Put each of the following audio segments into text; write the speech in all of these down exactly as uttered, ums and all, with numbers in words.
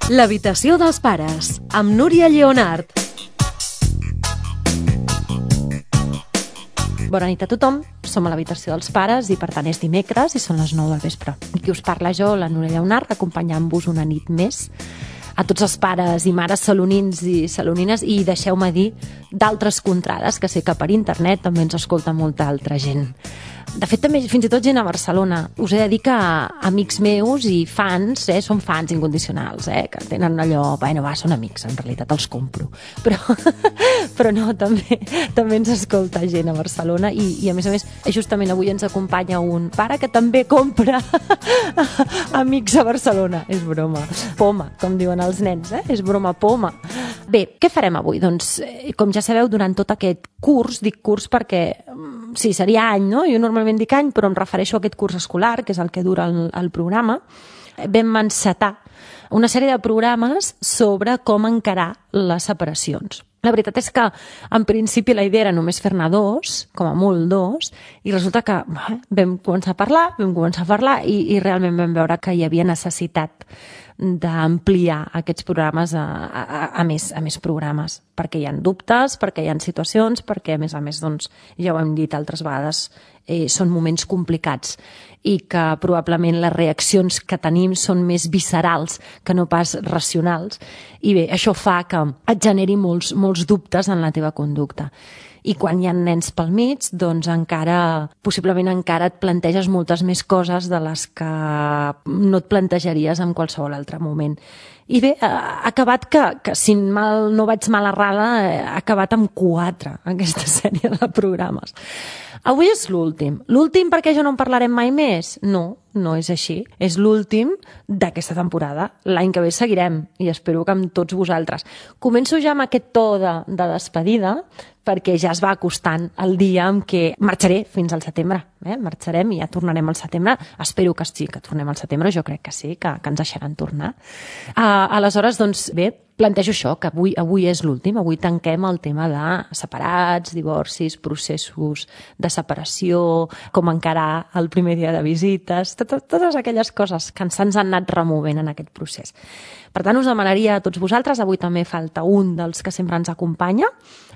L'habitació dels pares, amb Núria Lleonart. Bona nit a tothom, som a l'habitació dels pares i per tant és dimecres i són les nou del vespre. I qui us parla jo, la Núria Lleonart, acompanyant-vos una nit més a tots els pares i mares salonins i salonines, i deixeu-me dir d'altres contrades, que sé que per internet també ens escolta molta altra gent. De fet, també fins i tot gent a Barcelona. Us he de dir que amics meus i fans, eh, són fans incondicionals, eh, que tenen allò, bueno, va, són amics, en realitat els compro. Però, però no, també, també ens escolta gent a Barcelona i, i a més a més, justament avui ens acompanya un pare que també compra amics a Barcelona. És broma. Poma, com diuen els nens, eh? És broma, poma. Bé, què farem avui? Doncs, com ja sabeu, durant tot aquest curs, dic curs perquè, sí, seria any, no? Jo normalment dic any, però em refereixo a aquest curs escolar, que és el que dura el, el programa, vam encetar una sèrie de programes sobre com encarar les separacions. La veritat és que, en principi, la idea era només fer-ne dos, com a molt dos, i resulta que bé, vam començar a parlar, vam començar a parlar i, i realment vam veure que hi havia necessitat d'ampliar aquests programes a, a, a, més, a més programes, perquè hi ha dubtes, perquè hi ha situacions, perquè, a més a més, doncs, ja ho hem dit altres vegades, eh, són moments complicats i que probablement les reaccions que tenim són més viscerals que no pas racionals. I bé, això fa que et generi molts, molts dubtes en la teva conducta. I quan hi ha nens pel mig, doncs encara, possiblement encara et planteges moltes més coses de les que no et plantejaries en qualsevol altre moment. I bé, ha acabat que, que si mal, no vaig mal errada, ha acabat amb quatre, aquesta sèrie de programes. Avui és l'últim. L'últim perquè ja no en parlarem mai més? No, no és així. És l'últim d'aquesta temporada. L'any que ve seguirem, i espero que amb tots vosaltres. Començo ja amb aquest to de, de despedida, perquè ja es va acostant el dia en què marxaré fins al setembre. Eh? Marxarem i ja tornarem al setembre. Espero que sí, que tornem al setembre. Jo crec que sí, que, que ens deixaran tornar. Uh, aleshores, doncs, bé, plantejo això, que avui, avui és l'últim. Avui tanquem el tema de separats, divorcis, processos de separació, com encarar el primer dia de visites, tot, totes aquelles coses que ens han anat removent en aquest procés. Per tant, us demanaria a tots vosaltres, avui també falta un dels que sempre ens acompanya,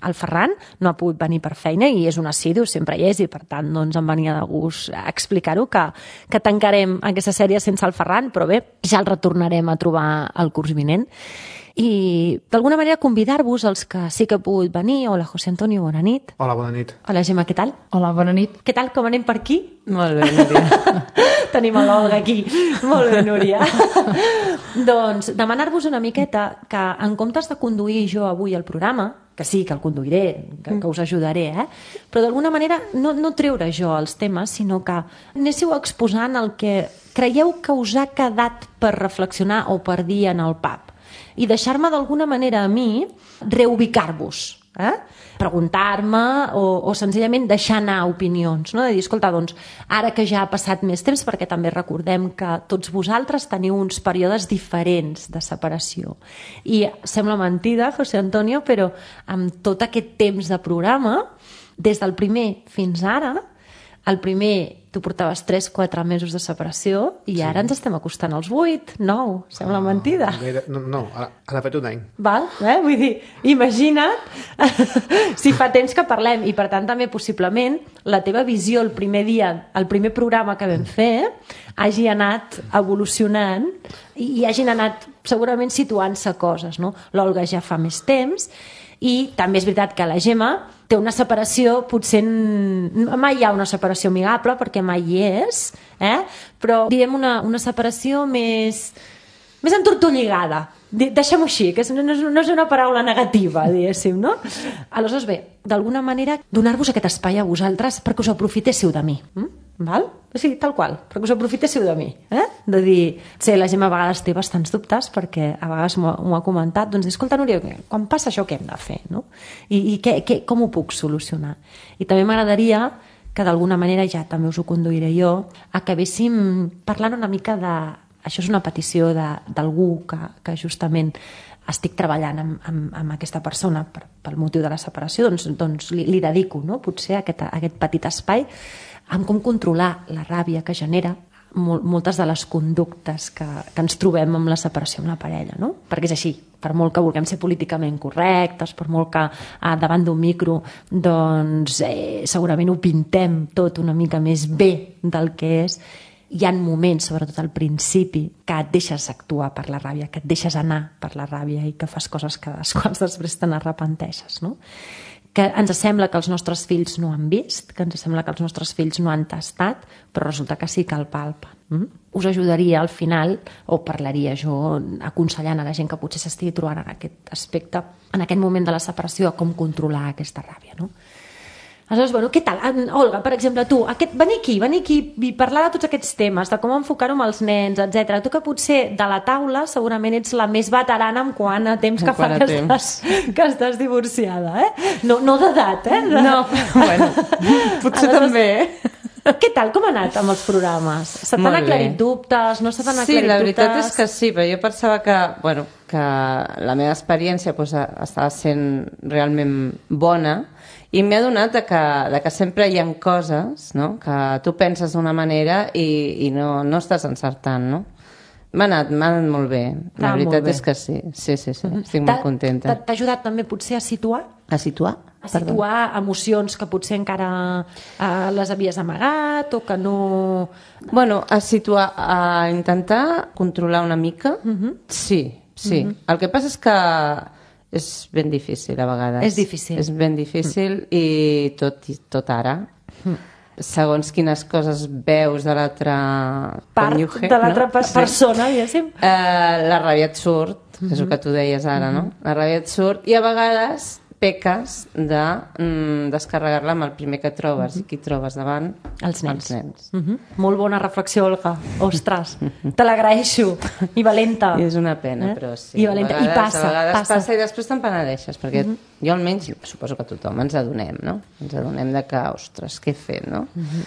el Ferran, no ha pogut venir per feina i és un assidu, sempre hi és, i per tant doncs, em venia de gust explicar-ho, que, que tancarem aquesta sèrie sense el Ferran, però bé, ja el retornarem a trobar el curs vinent. I d'alguna manera convidar-vos els que sí que he pogut venir. Hola, José Antonio, bona nit. Hola, bona nit. Hola, Gemma, què tal? Hola, bona nit. Què tal, com anem per aquí? Molt bé, Núria. Tenim l'Olga aquí. Molt bé, Núria. Doncs demanar-vos una miqueta que, en comptes de conduir jo avui el programa, que sí, que el conduiré, que, que us ajudaré, eh? Però d'alguna manera no, no treure jo els temes, sinó que anéssiu exposant el que creieu que us ha quedat per reflexionar o per dir en el pub. I deixar-me d'alguna manera a mi reubicar-vos, eh? Preguntar-me o, o senzillament deixar anar opinions, no? De dir, escolta, doncs, ara que ja ha passat més temps, perquè també recordem que tots vosaltres teniu uns períodes diferents de separació. I sembla mentida, José Antonio, però amb tot aquest temps de programa, des del primer fins ara, el primer tu portaves tres quatre mesos de separació i sí. Ara ens estem acostant als vuit, nou, sembla ah, mentida. No, no, ara ha fet un any. Val? Eh? Vull dir, imagina't si fa temps que parlem, i per tant també possiblement la teva visió el primer dia, el primer programa que vam fer, hagi anat evolucionant i, i hagin anat segurament situant-se coses, no? L'Olga ja fa més temps i també és veritat que la Gemma té una separació, potser mai hi ha una separació amigable perquè mai hi és, eh? Però diguem una, una separació més, més entortolligada. Deixem-ho així, que no és, no és una paraula negativa, diguéssim, no? Aleshores, bé, d'alguna manera, donar-vos aquest espai a vosaltres perquè us aprofitéssiu de mi. Hm? Val? Sí, tal qual, perquè us aprofitéssiu de mi. Eh? De dir, sé, la Gemma a vegades té bastants dubtes perquè a vegades m'ho ha comentat, doncs escolta, Núria, quan passa això què hem de fer? No? I, i què, què, com ho puc solucionar? I també m'agradaria que d'alguna manera, ja també us ho conduiré jo, acabéssim parlant una mica de... Això és una petició d'algú que, que justament estic treballant amb, amb, amb aquesta persona per, pel motiu de la separació, doncs, doncs li, li dedico, no? Potser aquest, aquest petit espai amb com controlar la ràbia que genera mol, moltes de les conductes que, que ens trobem amb la separació amb la parella, no? Perquè és així, per molt que vulguem ser políticament correctes, per molt que ah, davant d'un micro doncs eh, segurament ho pintem tot una mica més bé del que és, hi ha moments, sobretot al principi, que et deixes actuar per la ràbia, que et deixes anar per la ràbia i que fas coses que les quals després te n'arrepenteixes, no? Que ens sembla que els nostres fills no han vist, que ens sembla que els nostres fills no han tastat, però resulta que sí que el palpen. Mm? Us ajudaria al final, o parlaria jo aconsellant a la gent que potser s'estigui trobant en aquest aspecte, en aquest moment de la separació, a com controlar aquesta ràbia, no? Aleshores, bueno, què tal? Olga, per exemple, tu, aquest, venir aquí, venir aquí i parlar de tots aquests temes, de com enfocar-ho amb els nens, etcètera. Tu que potser de la taula segurament ets la més veterana en quant a temps que fa que estàs, que estàs divorciada, eh? No, no d'edat, eh? De... No, bueno, potser Aleshores, també, eh? Què tal? Com ha anat amb els programes? Se t'han aclarit dubtes? No se t'han aclarit dubtes? Sí, la veritat és que sí, però jo pensava que, bueno, que la meva experiència doncs, estava sent realment bona, i m'he adonat de que, de que sempre hi ha coses, no?, que tu penses d'una manera i, i no, no estàs encertant, no? M'ha anat, m'ha anat molt bé. La ah, veritat és que sí. Sí, sí, sí. Estic molt contenta. T'ha ajudat també potser a situar? A situar? A situar Perdó. emocions que potser encara eh, les havies amagat o que no... Bueno, a situar, a intentar controlar una mica, uh-huh. sí, sí. Uh-huh. El que passa és que és ben difícil a vegades. És difícil. És ben difícil mm. i tot, tot ara. Mm. Segons quines coses veus de l'altra... Part cònyuge, de l'altra no? persona, sí. diguéssim. Uh, la ràbia et surt, mm-hmm. que és el que tu deies ara, mm-hmm. no? La ràbia et surt i a vegades peques de mm, descarregar-la amb el primer que trobes. Mm-hmm. I qui trobes davant? Els nens. Els nens. Mm-hmm. Molt bona reflexió, Olga. Ostres, te l'agraeixo. I valenta. I és una pena, eh? Però sí. I valenta. Vegades, I passa, a vegades passa. passa i després te'n penedeixes, perquè mm-hmm. jo almenys, suposo que tothom ens adonem, no? Ens adonem de que, ostres, què he fet, no? Mm-hmm.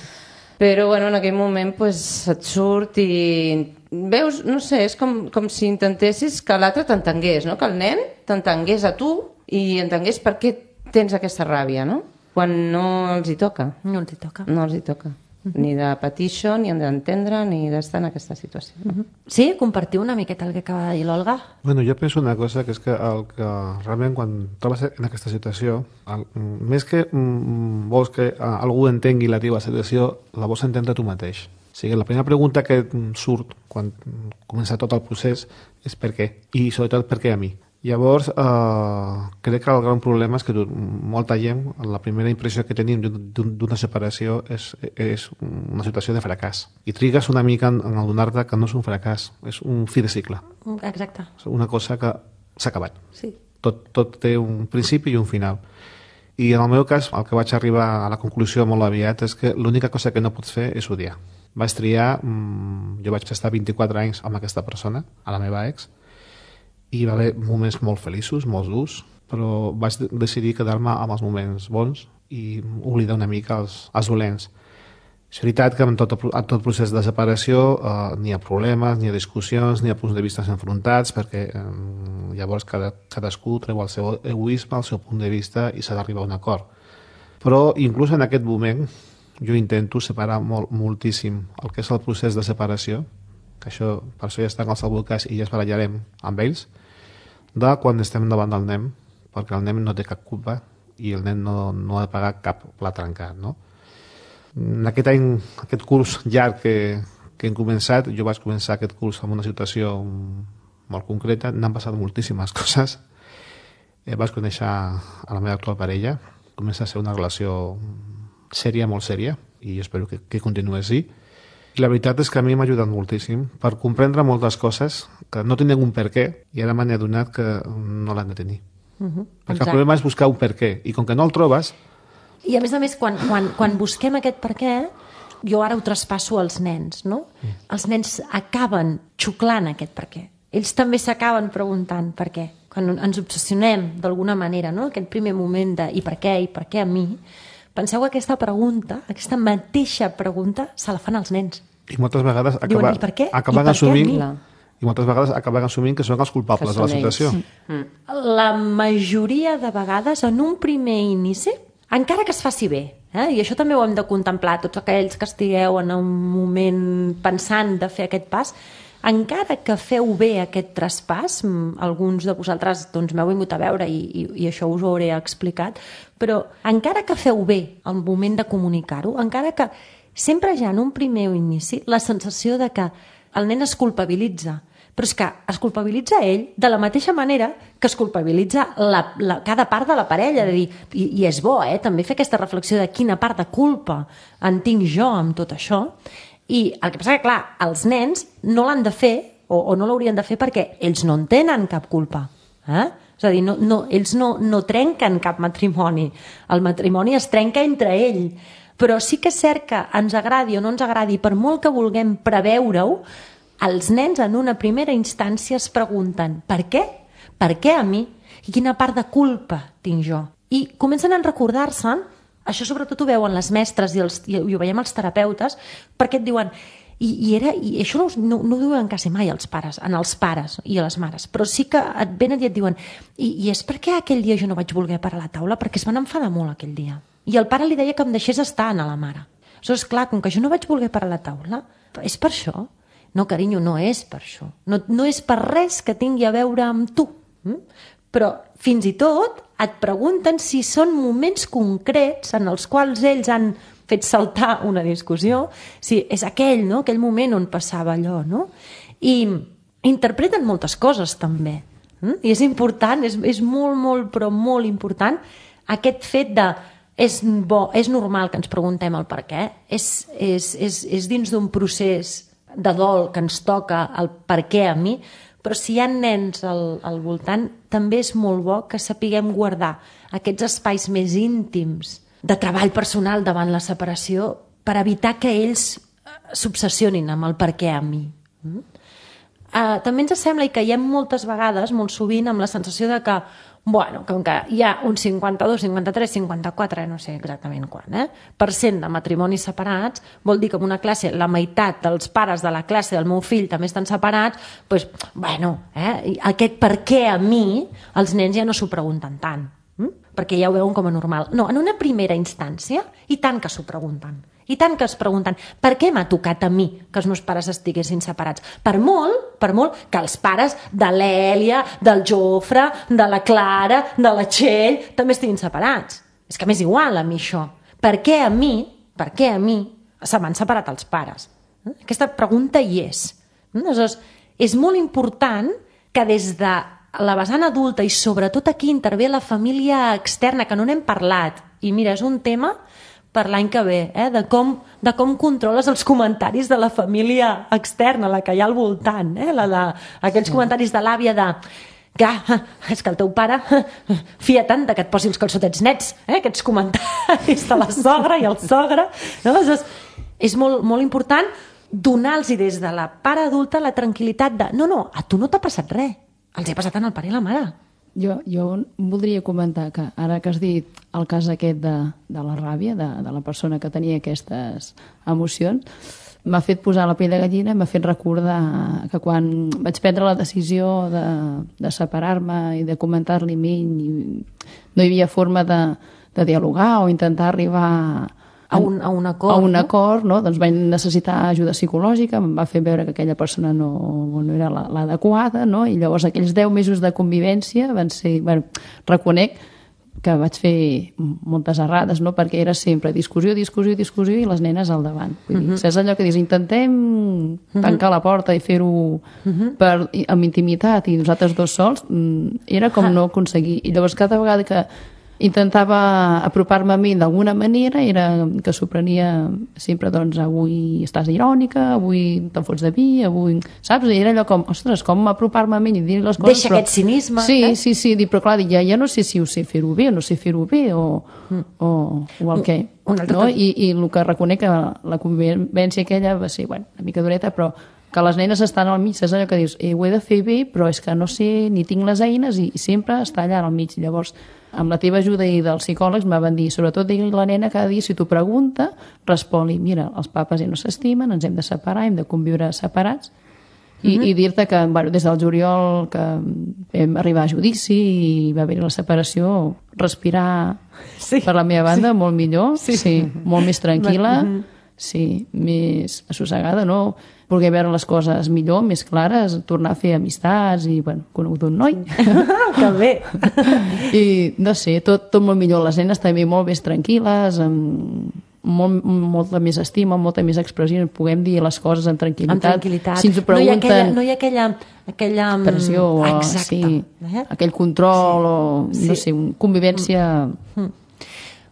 Però, bueno, en aquell moment pues, et surt i veus, no sé, és com, com si intentessis que l'altre t'entengués, no? Que el nen t'entengués a tu i entengués per què tens aquesta ràbia, no? Quan no els hi toca. No els hi toca. No els hi toca. Uh-huh. Ni de patir això, ni d'entendre, ni d'estar en aquesta situació. Uh-huh. Sí? Compartiu una miqueta el que acaba de dir l'Olga? Bueno, jo penso una cosa, que és que, el que realment quan trobes en aquesta situació, el, més que mm, vols que uh, algú entengui la teva situació, la vols entendre tu mateix. O sigui, la primera pregunta que surt quan comença tot el procés és per què, i sobretot per què a mi. Llavors, eh, crec que el gran problema és que molta gent, la primera impressió que tenim d'una separació és, és una situació de fracàs. I trigues una mica en adonar-te que no és un fracàs, és un fi de cicle. Exacte. Una cosa que s'ha acabat. Sí. Tot, tot té un principi i un final. I en el meu cas, el que vaig arribar a la conclusió molt aviat és que l'única cosa que no pots fer és odiar. Vaig triar, jo vaig estar vint-i-quatre anys amb aquesta persona, a la meva ex, i hi va haver moments molt feliços, molt durs, però vaig decidir quedar-me amb els moments bons i oblidar una mica els, els dolents. És veritat que en tot, en tot procés de separació eh, n'hi ha problemes, n'hi ha discussions, n'hi ha punts de vista enfrontats, perquè eh, llavors cada, cadascú treu el seu egoisme, el seu punt de vista i s'ha d'arribar a un acord. Però inclús en aquest moment jo intento separar molt, moltíssim el que és el procés de separació, que això, per això ja estan els advocats i ja es barallarem amb ells, de quan estem davant del nen, perquè el nen no té cap culpa i el nen no, no ha de pagar cap plat trencat, no? En aquest any, aquest curs llarg que, que hem començat, jo vaig començar aquest curs amb una situació molt concreta, n'han passat moltíssimes coses. Eh, vaig conèixer a la meva actual parella, comença a ser una relació sèria, molt sèria, i espero que, que continuï així. I la veritat és que a mi m'ha ajudat moltíssim per comprendre moltes coses que no tenen un per què i ara m'he adonat que no l'han de tenir. Uh-huh. Perquè Exacte. El problema és buscar un per què i com que no el trobes... I a més a més, quan, quan, quan busquem aquest per què, jo ara ho traspasso als nens, no? Mm. Els nens acaben xuclant aquest per què. Ells també s'acaben preguntant per què. Quan ens obsessionem d'alguna manera, no? Aquest primer moment de i per què, i per què a mi... Penseu que aquesta pregunta, aquesta mateixa pregunta, se la fan als nens. I moltes vegades acaba, Diuen, i per què? acaben I per assumint, què a mi? I moltes vegades acaben assumint que són els culpables de la situació. Mm. La majoria de vegades, en un primer inici, encara que es faci bé, Eh? I això també ho hem de contemplar, tots aquells que estigueu en un moment pensant de fer aquest pas, encara que feu bé aquest traspàs, alguns de vosaltres doncs, m'heu vingut a veure i, i, i això us ho hauré explicat, però encara que feu bé el moment de comunicar-ho, encara que sempre ja en un primer inici la sensació de que el nen es culpabilitza, però és que es culpabilitza ell de la mateixa manera que es culpabilitza la, la, cada part de la parella, de dir, i, i és bo, eh, també fer aquesta reflexió de quina part de culpa en tinc jo amb tot això. I el que passa que, clar, els nens no l'han de fer, o, o no l'haurien de fer perquè ells no en tenen cap culpa. Eh? És a dir, no, no, ells no, no trenquen cap matrimoni. El matrimoni es trenca entre ell. Però sí que és cert que ens agradi o no ens agradi, per molt que vulguem preveure-ho, els nens en una primera instància es pregunten per què? Per què a mi? I quina part de culpa tinc jo? I comencen a recordar-se'n. Això sobretot ho veuen les mestres i, els, i ho veiem els terapeutes, perquè et diuen, i, i, era, i això no, no, no ho diuen quasi mai els pares, en els pares i a les mares, però sí que et venen i et diuen, i, i és perquè aquell dia jo no vaig voler parar a la taula, perquè es van enfadar molt aquell dia. I el pare li deia que em deixés estar a la mare. Aleshores, clar, com que jo no vaig voler parar a la taula, és per això? No, carinyo, no és per això. No, no és per res que tingui a veure amb tu. Mm? Però fins i tot et pregunten si són moments concrets en els quals ells han fet saltar una discussió, si és aquell, no? Aquell moment on passava allò, no? I interpreten moltes coses també. Mm? I és important, és, és molt, molt, però molt important aquest fet de és bo, és normal que ens preguntem el per què, és, és, és, és dins d'un procés de dol que ens toca el per què a mi, però si hi ha nens al, al voltant, també és molt bo que sapiguem guardar aquests espais més íntims de treball personal davant la separació per evitar que ells s'obsessionin amb el per què a mi. Mm? Uh, també ens sembla i caiem moltes vegades, molt sovint, amb la sensació de que, bueno, com que hi ha un cinquanta-dos, cinquanta-tres, cinquanta-quatre, no sé exactament quan, eh, per cent de matrimonis separats, vol dir que en una classe la meitat dels pares de la classe del meu fill també estan separats, doncs, bueno, eh, aquest per què a mi, els nens ja no s'ho pregunten tant, hm? Perquè ja ho veuen com a normal. No, en una primera instància, i tant que s'ho pregunten. I tant que es pregunten, per què m'ha tocat a mi que els meus pares estiguessin separats? Per molt, per molt que els pares de l'Èlia, del Jofre, de la Clara, de la Txell, també estiguin separats. És que m'és igual a mi això. Per què a mi, per què a mi se m'han separat els pares? Aquesta pregunta hi és. Aleshores, és molt important que des de la vessant adulta i sobretot aquí intervé la família externa, que no n'hem parlat, i mira, és un tema per l'any que ve, eh? de, com, de com controles els comentaris de la família externa, la que hi ha al voltant, eh? la de, aquells sí. comentaris de l'àvia de que és que el teu pare fia tant que et posi els calçotets nets, eh? aquests comentaris de la sogra i el sogre. No? És, és molt, molt important donar-los des de la part adulta la tranquil·litat de no, no, a tu no t'ha passat res, els he passat en el pare i la mare. Jo, jo voldria comentar que ara que has dit el cas aquest de, de la ràbia, de, de la persona que tenia aquestes emocions, m'ha fet posar la pell de gallina i m'ha fet recordar que quan vaig prendre la decisió de, de separar-me i de comentar-li a ell, no hi havia forma de, de dialogar o intentar arribar a un, a un acord, a un acord no? Doncs vaig necessitar ajuda psicològica, em va fer veure que aquella persona no, no era l'adequada, no? I llavors aquells deu mesos de convivència van ser, bueno, reconec que vaig fer moltes errades, no? Perquè era sempre discussió, discussió, discussió i les nenes al davant. Vull dir, uh-huh. Saps allò que dius, intentem tancar uh-huh. la porta i fer-ho uh-huh. per, amb intimitat i nosaltres dos sols, era com uh-huh. no aconseguir. I llavors cada vegada que intentava apropar-me a mi d'alguna manera, era que s'ho prenia sempre, doncs, avui estàs irònica, avui te'n fots de vi, avui... Saps? I era allò com, ostres, com apropar-me a mi i dir les coses... Deixa però... aquest cinisme. Sí, eh? sí, sí, dir, però clar, ja, ja no sé si ho sé fer-ho bé o no sé fer-ho bé o, mm. o, o el què. No? I, I el que reconec que la convivència aquella va ser, bueno, una mica dureta, però que les nenes estan al mig, és allò que dius, eh, ho he de fer bé, però és que no sé, ni tinc les eines i, i sempre està allà al mig. Llavors, amb la teva ajuda i dels psicòlegs m'ha van dir, sobretot digui a la nena cada dia, si t'ho pregunta, respon-li, mira, els papes ja no s'estimen, ens hem de separar, hem de conviure separats, I, i dir-te que bueno, des del juliol que vam arribar a judici i va haver la separació, respirar Sí. per la meva banda Sí. molt millor, Sí. sí, molt més tranquil·la, Mhm. sí, més assossegada, no? Voler veure les coses millor, més clares, tornar a fer amistats i, bueno, conegut un noi. Que bé. I, no sé, tot, tot molt millor. Les nenes també molt més tranquil·les, amb molt, molta més estima, molta més expressió, puguem dir les coses amb tranquil·litat. Amb tranquil·litat. Si ens ho no hi ha pregunten... aquella, no hi ha aquella, aquella mm, pressió, o, exacte. sí, Eh? aquell control, o, Sí. no sé, un- convivència...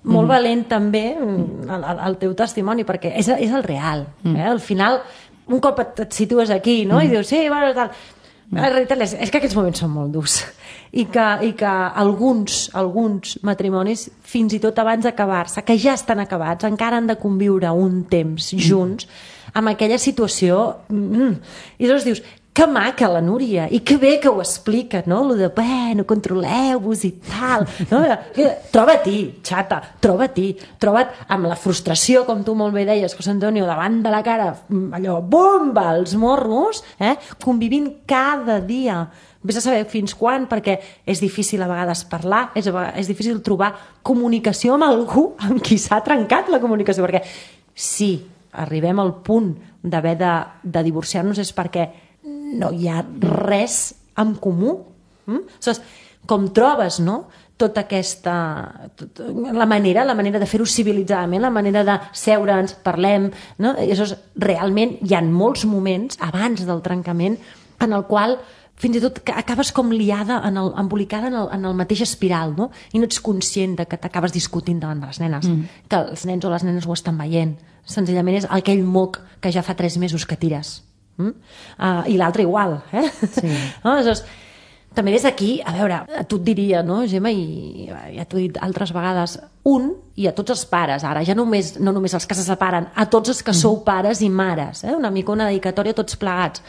Molt valent també mm, el, el, el teu testimoni, perquè és, és el real. Eh? Al final, un cop et, et situes aquí, no? I dius, sí, bueno, tal... La realitat és, és que aquests moments són molt durs i que, i que alguns, alguns matrimonis, fins i tot abans d'acabar-se, que ja estan acabats, encara han de conviure un temps junts amb aquella situació. Mm, I llavors dius, que maca la Núria, i que bé que ho explica, no? Lo de, bueno, controleu-vos i tal. No? Troba-t'hi, xata, troba-t'hi. Troba't amb la frustració, com tu molt bé deies, José Antonio, davant de la cara, allò, bomba, els morros, eh? Convivint cada dia. Vés a saber fins quan, perquè és difícil a vegades parlar, és, és difícil trobar comunicació amb algú amb qui s'ha trencat la comunicació, perquè si arribem al punt d'haver de, de divorciar-nos és perquè no hi ha res en comú. Mm? Aleshores, com trobes, no?, tota aquesta... Tot, la manera la manera de fer-ho civilitzadament, la manera de seure'ns, parlem, no? I aleshores, realment hi ha molts moments abans del trencament en el qual fins i tot acabes com liada, en el, embolicada en el, en el mateix espiral, no? I no ets conscient de que t'acabes discutint davant de les nenes, mm. que els nens o les nenes ho estan veient. Senzillament és aquell moc que ja fa tres mesos que tires. Mm? Uh, I l'altre igual, eh? Sí. No? Aleshores, també des d'aquí, a veure, a tu et diria, no, Gemma, i ja t'ho he dit altres vegades, un, i a tots els pares, ara, ja només, no només els que se separen, a tots els que mm. sou pares i mares, eh? Una mica una dedicatòria a tots plegats.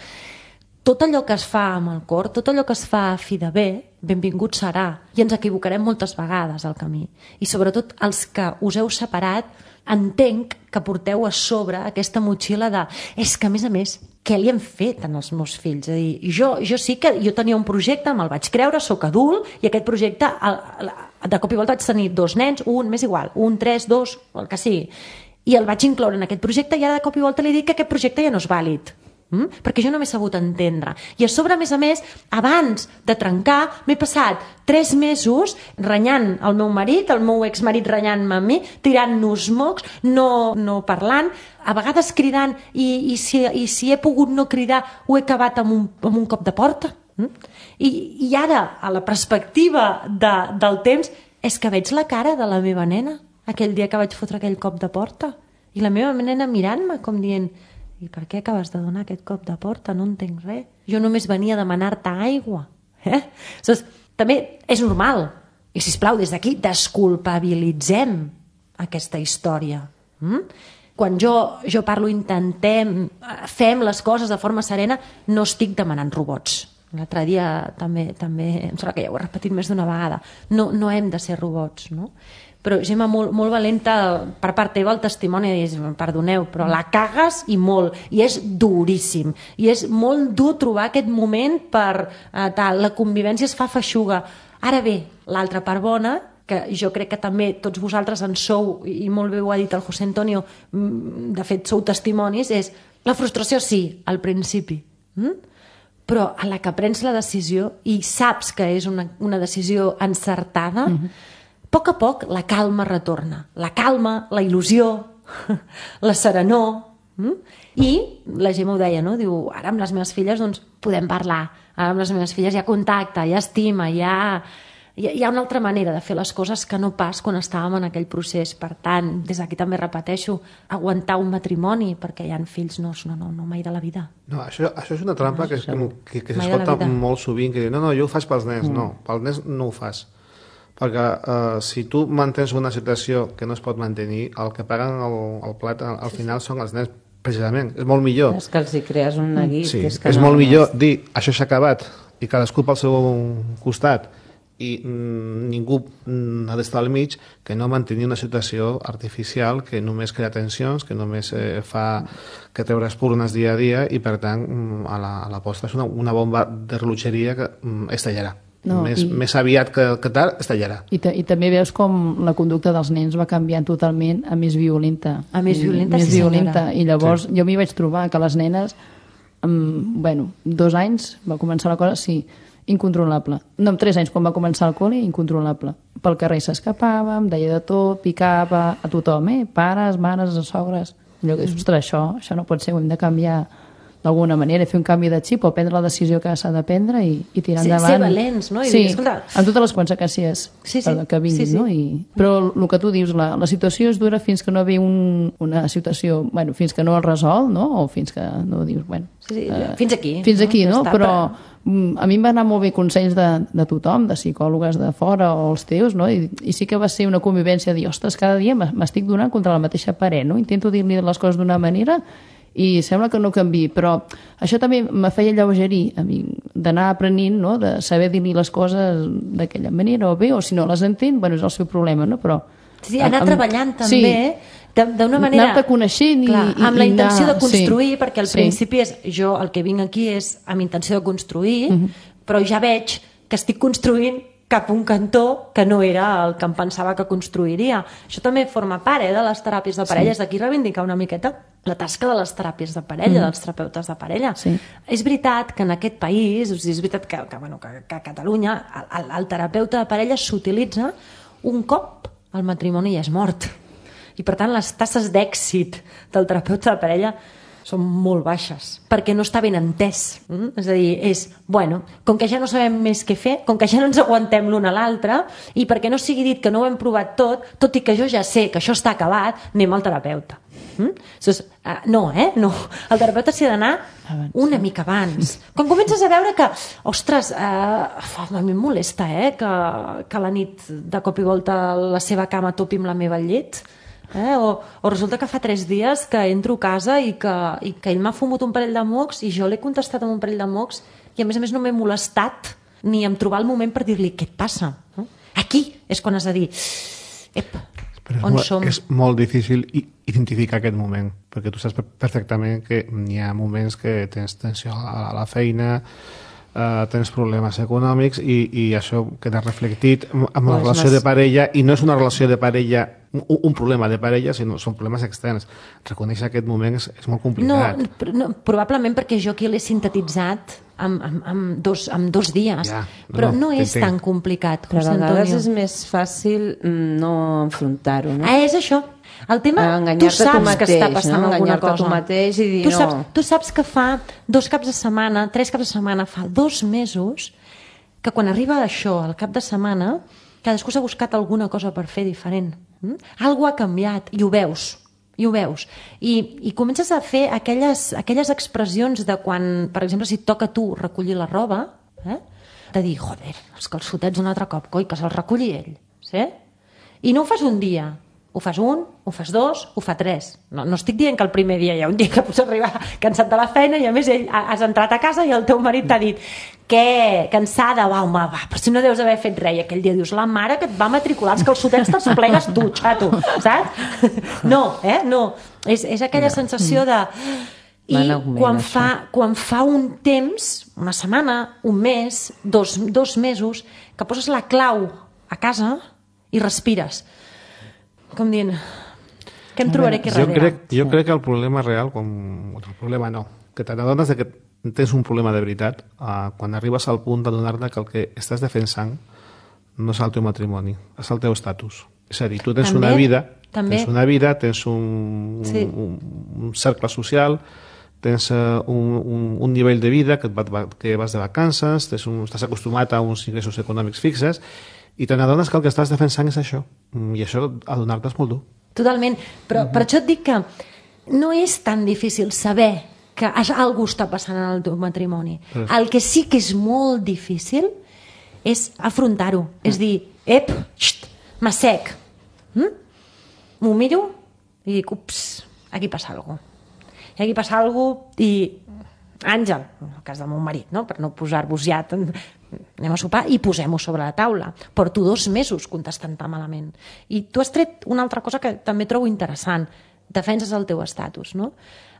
Tot allò que es fa amb el cor, tot allò que es fa a fi de bé, benvingut serà. I ens equivocarem moltes vegades al camí. I sobretot els que us heu separat, entenc que porteu a sobre aquesta motxilla de... És que, a més a més, què li hem fet als meus fills? És a dir, jo, jo sí que jo tenia un projecte, me'l vaig creure, sóc adult, i aquest projecte, de cop i volta vaig tenir dos nens, un, m'és igual, un, tres, dos, el que sigui. I el vaig incloure en aquest projecte i ara de cop i volta li dic que aquest projecte ja no és vàlid. Mm? Perquè jo no m'he sabut entendre. I a sobre, a més a més, abans de trencar, m'he passat tres mesos renyant el meu marit, el meu exmarit renyant-me a mi, tirant-nos mocs, no, no parlant, a vegades cridant, i, i, si, i si he pogut no cridar, ho he acabat amb un, amb un cop de porta. Mm? I, I ara, a la perspectiva de, del temps, és que veig la cara de la meva nena, aquell dia que vaig fotre aquell cop de porta. I la meva nena mirant-me com dient... I per què acabes de donar aquest cop de porta? No entenc res. Jo només venia a demanar-te aigua. Eh? Aleshores, també és normal. I, sisplau, des d'aquí desculpabilitzem aquesta història. Mm? Quan jo, jo parlo, intentem, fem les coses de forma serena, no estic demanant robots. L'altre dia també, també, em sembla que ja ho he repetit més d'una vegada. No, no hem de ser robots, no? Però, Gemma, molt, molt valenta per part teva el testimoni, és, perdoneu, però la cagues i molt, i és duríssim, i és molt dur trobar aquest moment per eh, tal, la convivència es fa feixuga. Ara bé, l'altra part bona, que jo crec que també tots vosaltres en sou, i molt bé ho ha dit el José Antonio, de fet sou testimonis, és la frustració sí, al principi, mm? Però a la que prens la decisió i saps que és una, una decisió encertada, mm-hmm. a poc a poc la calma retorna. La calma, la il·lusió, la serenor. Mm? I la Gemma ho deia, no? Diu, ara amb les meves filles doncs, podem parlar. Ara amb les meves filles hi ha contacte, hi ha estima, hi ha, hi ha, hi ha una altra manera de fer les coses que no pas quan estàvem en aquell procés. Per tant, des d'aquí també repeteixo, aguantar un matrimoni perquè hi ha fills, no, no, no, no mai de la vida. No, això, això és una trampa No, que, això- que, que, que mai de la s'escolta vida. molt sovint, que diu, no, no, jo ho faig pels nens. Mm. No, pels nens no ho fas. Perquè uh, si tu mantens una situació que no es pot mantenir, el que paguen el, el plat al, al final són els nens, precisament. És molt millor. És que els hi crees un neguit. Sí, és que és no, molt no. millor dir això s'ha acabat i cadascú pel seu costat i mm, ningú mm, ha d'estar al mig que no mantenir una situació artificial que només crea tensions, que només eh, fa que treure espurnes dia a dia i per tant mm, a, la, a la posta és una, una bomba de rellotgeria que mm, estallarà. No, més, i... més aviat que, que tard estallarà. I, ta, I també veus com la conducta dels nens va canviant totalment a més violenta. A més violenta, I, sí més violenta. senyora. I llavors sí. jo m'hi vaig trobar que les nenes, amb, bueno, dos anys va començar la cosa, sí, incontrolable. No, amb tres anys, quan va començar el col·le, incontrolable. Pel carrer s'escapava, em deia de tot, picava a tothom, eh? Pares, mares, sogres. Allò que, ostres, això, això no pot ser, ho hem de canviar d'alguna manera, fer un canvi de xip o prendre la decisió que s'ha de prendre i, i tirar sí, endavant. Ser valents, no? I sí, dir, escolta... amb totes les conseqüències sí, sí. que vinguin, sí, sí. no? I... Però el que tu dius, la, la situació és dura fins que no ve un, una situació, bueno, fins que no el resol, no? O fins que no dius, bueno... Sí, sí, eh, fins aquí. Fins aquí, no? no? Està, però... A mi em van anar molt bé consells de, de tothom, de psicòlogues de fora o els teus, no? I, i sí que va ser una convivència de dir, ostres, cada dia m'estic donant contra la mateixa paret, no? Intento dir-li les coses d'una manera i sembla que no canvi, però això també me feia lleugerir a mi, d'anar aprenent, no? De saber dir-li les coses d'aquella manera, o bé, o si no les entén, bueno, és el seu problema, no? Però... Sí, anar amb, treballant també... Sí, d'una manera... anar-te coneixent i, clar, i, amb la intenció anar, de construir, sí, perquè al sí. principi és, jo el que vinc aquí és amb intenció de construir, uh -huh. però ja veig que estic construint cap a un cantó que no era el que em pensava que construiria. Això també forma part eh, de les teràpies de parella, sí. D'aquí reivindicar una miqueta la tasca de les teràpies de parella, mm. dels terapeutes de parella. Sí. És veritat que en aquest país, és veritat que, que, bueno, que, que a Catalunya el, el terapeuta de parella s'utilitza un cop el matrimoni ja és mort. I per tant les tasses d'èxit del terapeuta de parella són molt baixes, perquè no està ben entès. Mm? És a dir, és, bueno, com que ja no sabem més què fer, com que ja no ens aguantem l'un a l'altre, i perquè no sigui dit que no ho hem provat tot, tot i que jo ja sé que això està acabat, anem al terapeuta. Mm? Entonces, uh, no, eh? No. El terapeuta s'hi ha d'anar una mica abans. Quan comences a veure que, ostres, uh, a mi em molesta, eh? Que, que la nit de cop i volta la seva cama topi amb la meva llet, Eh? O, o resulta que fa tres dies que entro a casa i que, i que ell m'ha fumut un parell de mocs i jo l'he contestat amb un parell de mocs i a més a més no m'he molestat ni em trobar el moment per dir-li què et passa. No? Aquí és quan has de dir ep, on és som? Molt, és molt difícil identificar aquest moment, perquè tu saps perfectament que hi ha moments que tens tensió a la feina, Uh, tens problemes econòmics i, i això queda reflectit amb la pues relació no de parella, i no és una relació de parella, un, un problema de parella, sinó són problemes externs. Reconèixer aquest moment és, és molt complicat. No, no, probablement perquè jo aquí l'he sintetitzat amb, amb, amb, dos, amb dos dies, ja, però no, no és t'entenc. tan complicat. Però a José vegades Antonio. és més fàcil no enfrontar-ho, no? Ah, és això. El tema, tu enganyar-te saps tu mateix, que està passant no? alguna Enganyar-te cosa. tu mateix i dir tu no. Saps, tu saps que fa dos caps de setmana, tres caps de setmana, fa dos mesos, que quan arriba això, al cap de setmana, cadascú s'ha buscat alguna cosa per fer diferent. Mm? Algo ha canviat i ho veus. I ho veus. I, i comences a fer aquelles, aquelles expressions de quan, per exemple, si et toca a tu recollir la roba, eh? de dir, joder, els calçotets un altre cop, coi, que se'ls reculli ell. Sí? I no ho fas un dia, ho fas un, ho fas dos, ho fa tres. No, no estic dient que el primer dia hi ha un dia que pots arribar cansat de la feina i a més ell, has entrat a casa i el teu marit t'ha dit què, cansada, va home, va, però si no deus haver fet res. I aquell dia dius, la mare que et va matricular els calçotets te'ls plegues tu, xato, saps? No, eh, no. És, és aquella sensació de... I augment, quan això. fa, quan fa un temps, una setmana, un mes, dos, dos mesos, que poses la clau a casa i respires. Com dient, què em trobaré aquí jo darrere? crec, jo crec que el problema real, com, el problema no, que t'adones que tens un problema de veritat uh, quan arribes al punt d'adonar-te que el que estàs defensant no és el teu matrimoni, és el teu estatus. És a dir, tu tens També, una vida, també. tens una vida, tens un, Sí. un, un cercle social, tens uh, un, un, un nivell de vida que, et va, que vas de vacances, tens un, estàs acostumat a uns ingressos econòmics fixes, i te n'adones que el que estàs defensant és això. I això, adonar-te és molt dur. Totalment, però per això et dic que no és tan difícil saber que algú està passant en el teu matrimoni. Però... El que sí que és molt difícil és afrontar-ho. És dir, ep, xt, m'assec. Mm? M'ho miro i dic, ups, aquí passa alguna cosa. I aquí passa alguna cosa i... Àngel, en el cas del meu marit, no? Per no posar-vos ja... Tan... anem a sopar i posem-ho sobre la taula. Porto dos mesos contestant tan malament. I tu has tret una altra cosa que també trobo interessant. Defenses el teu estatus, no?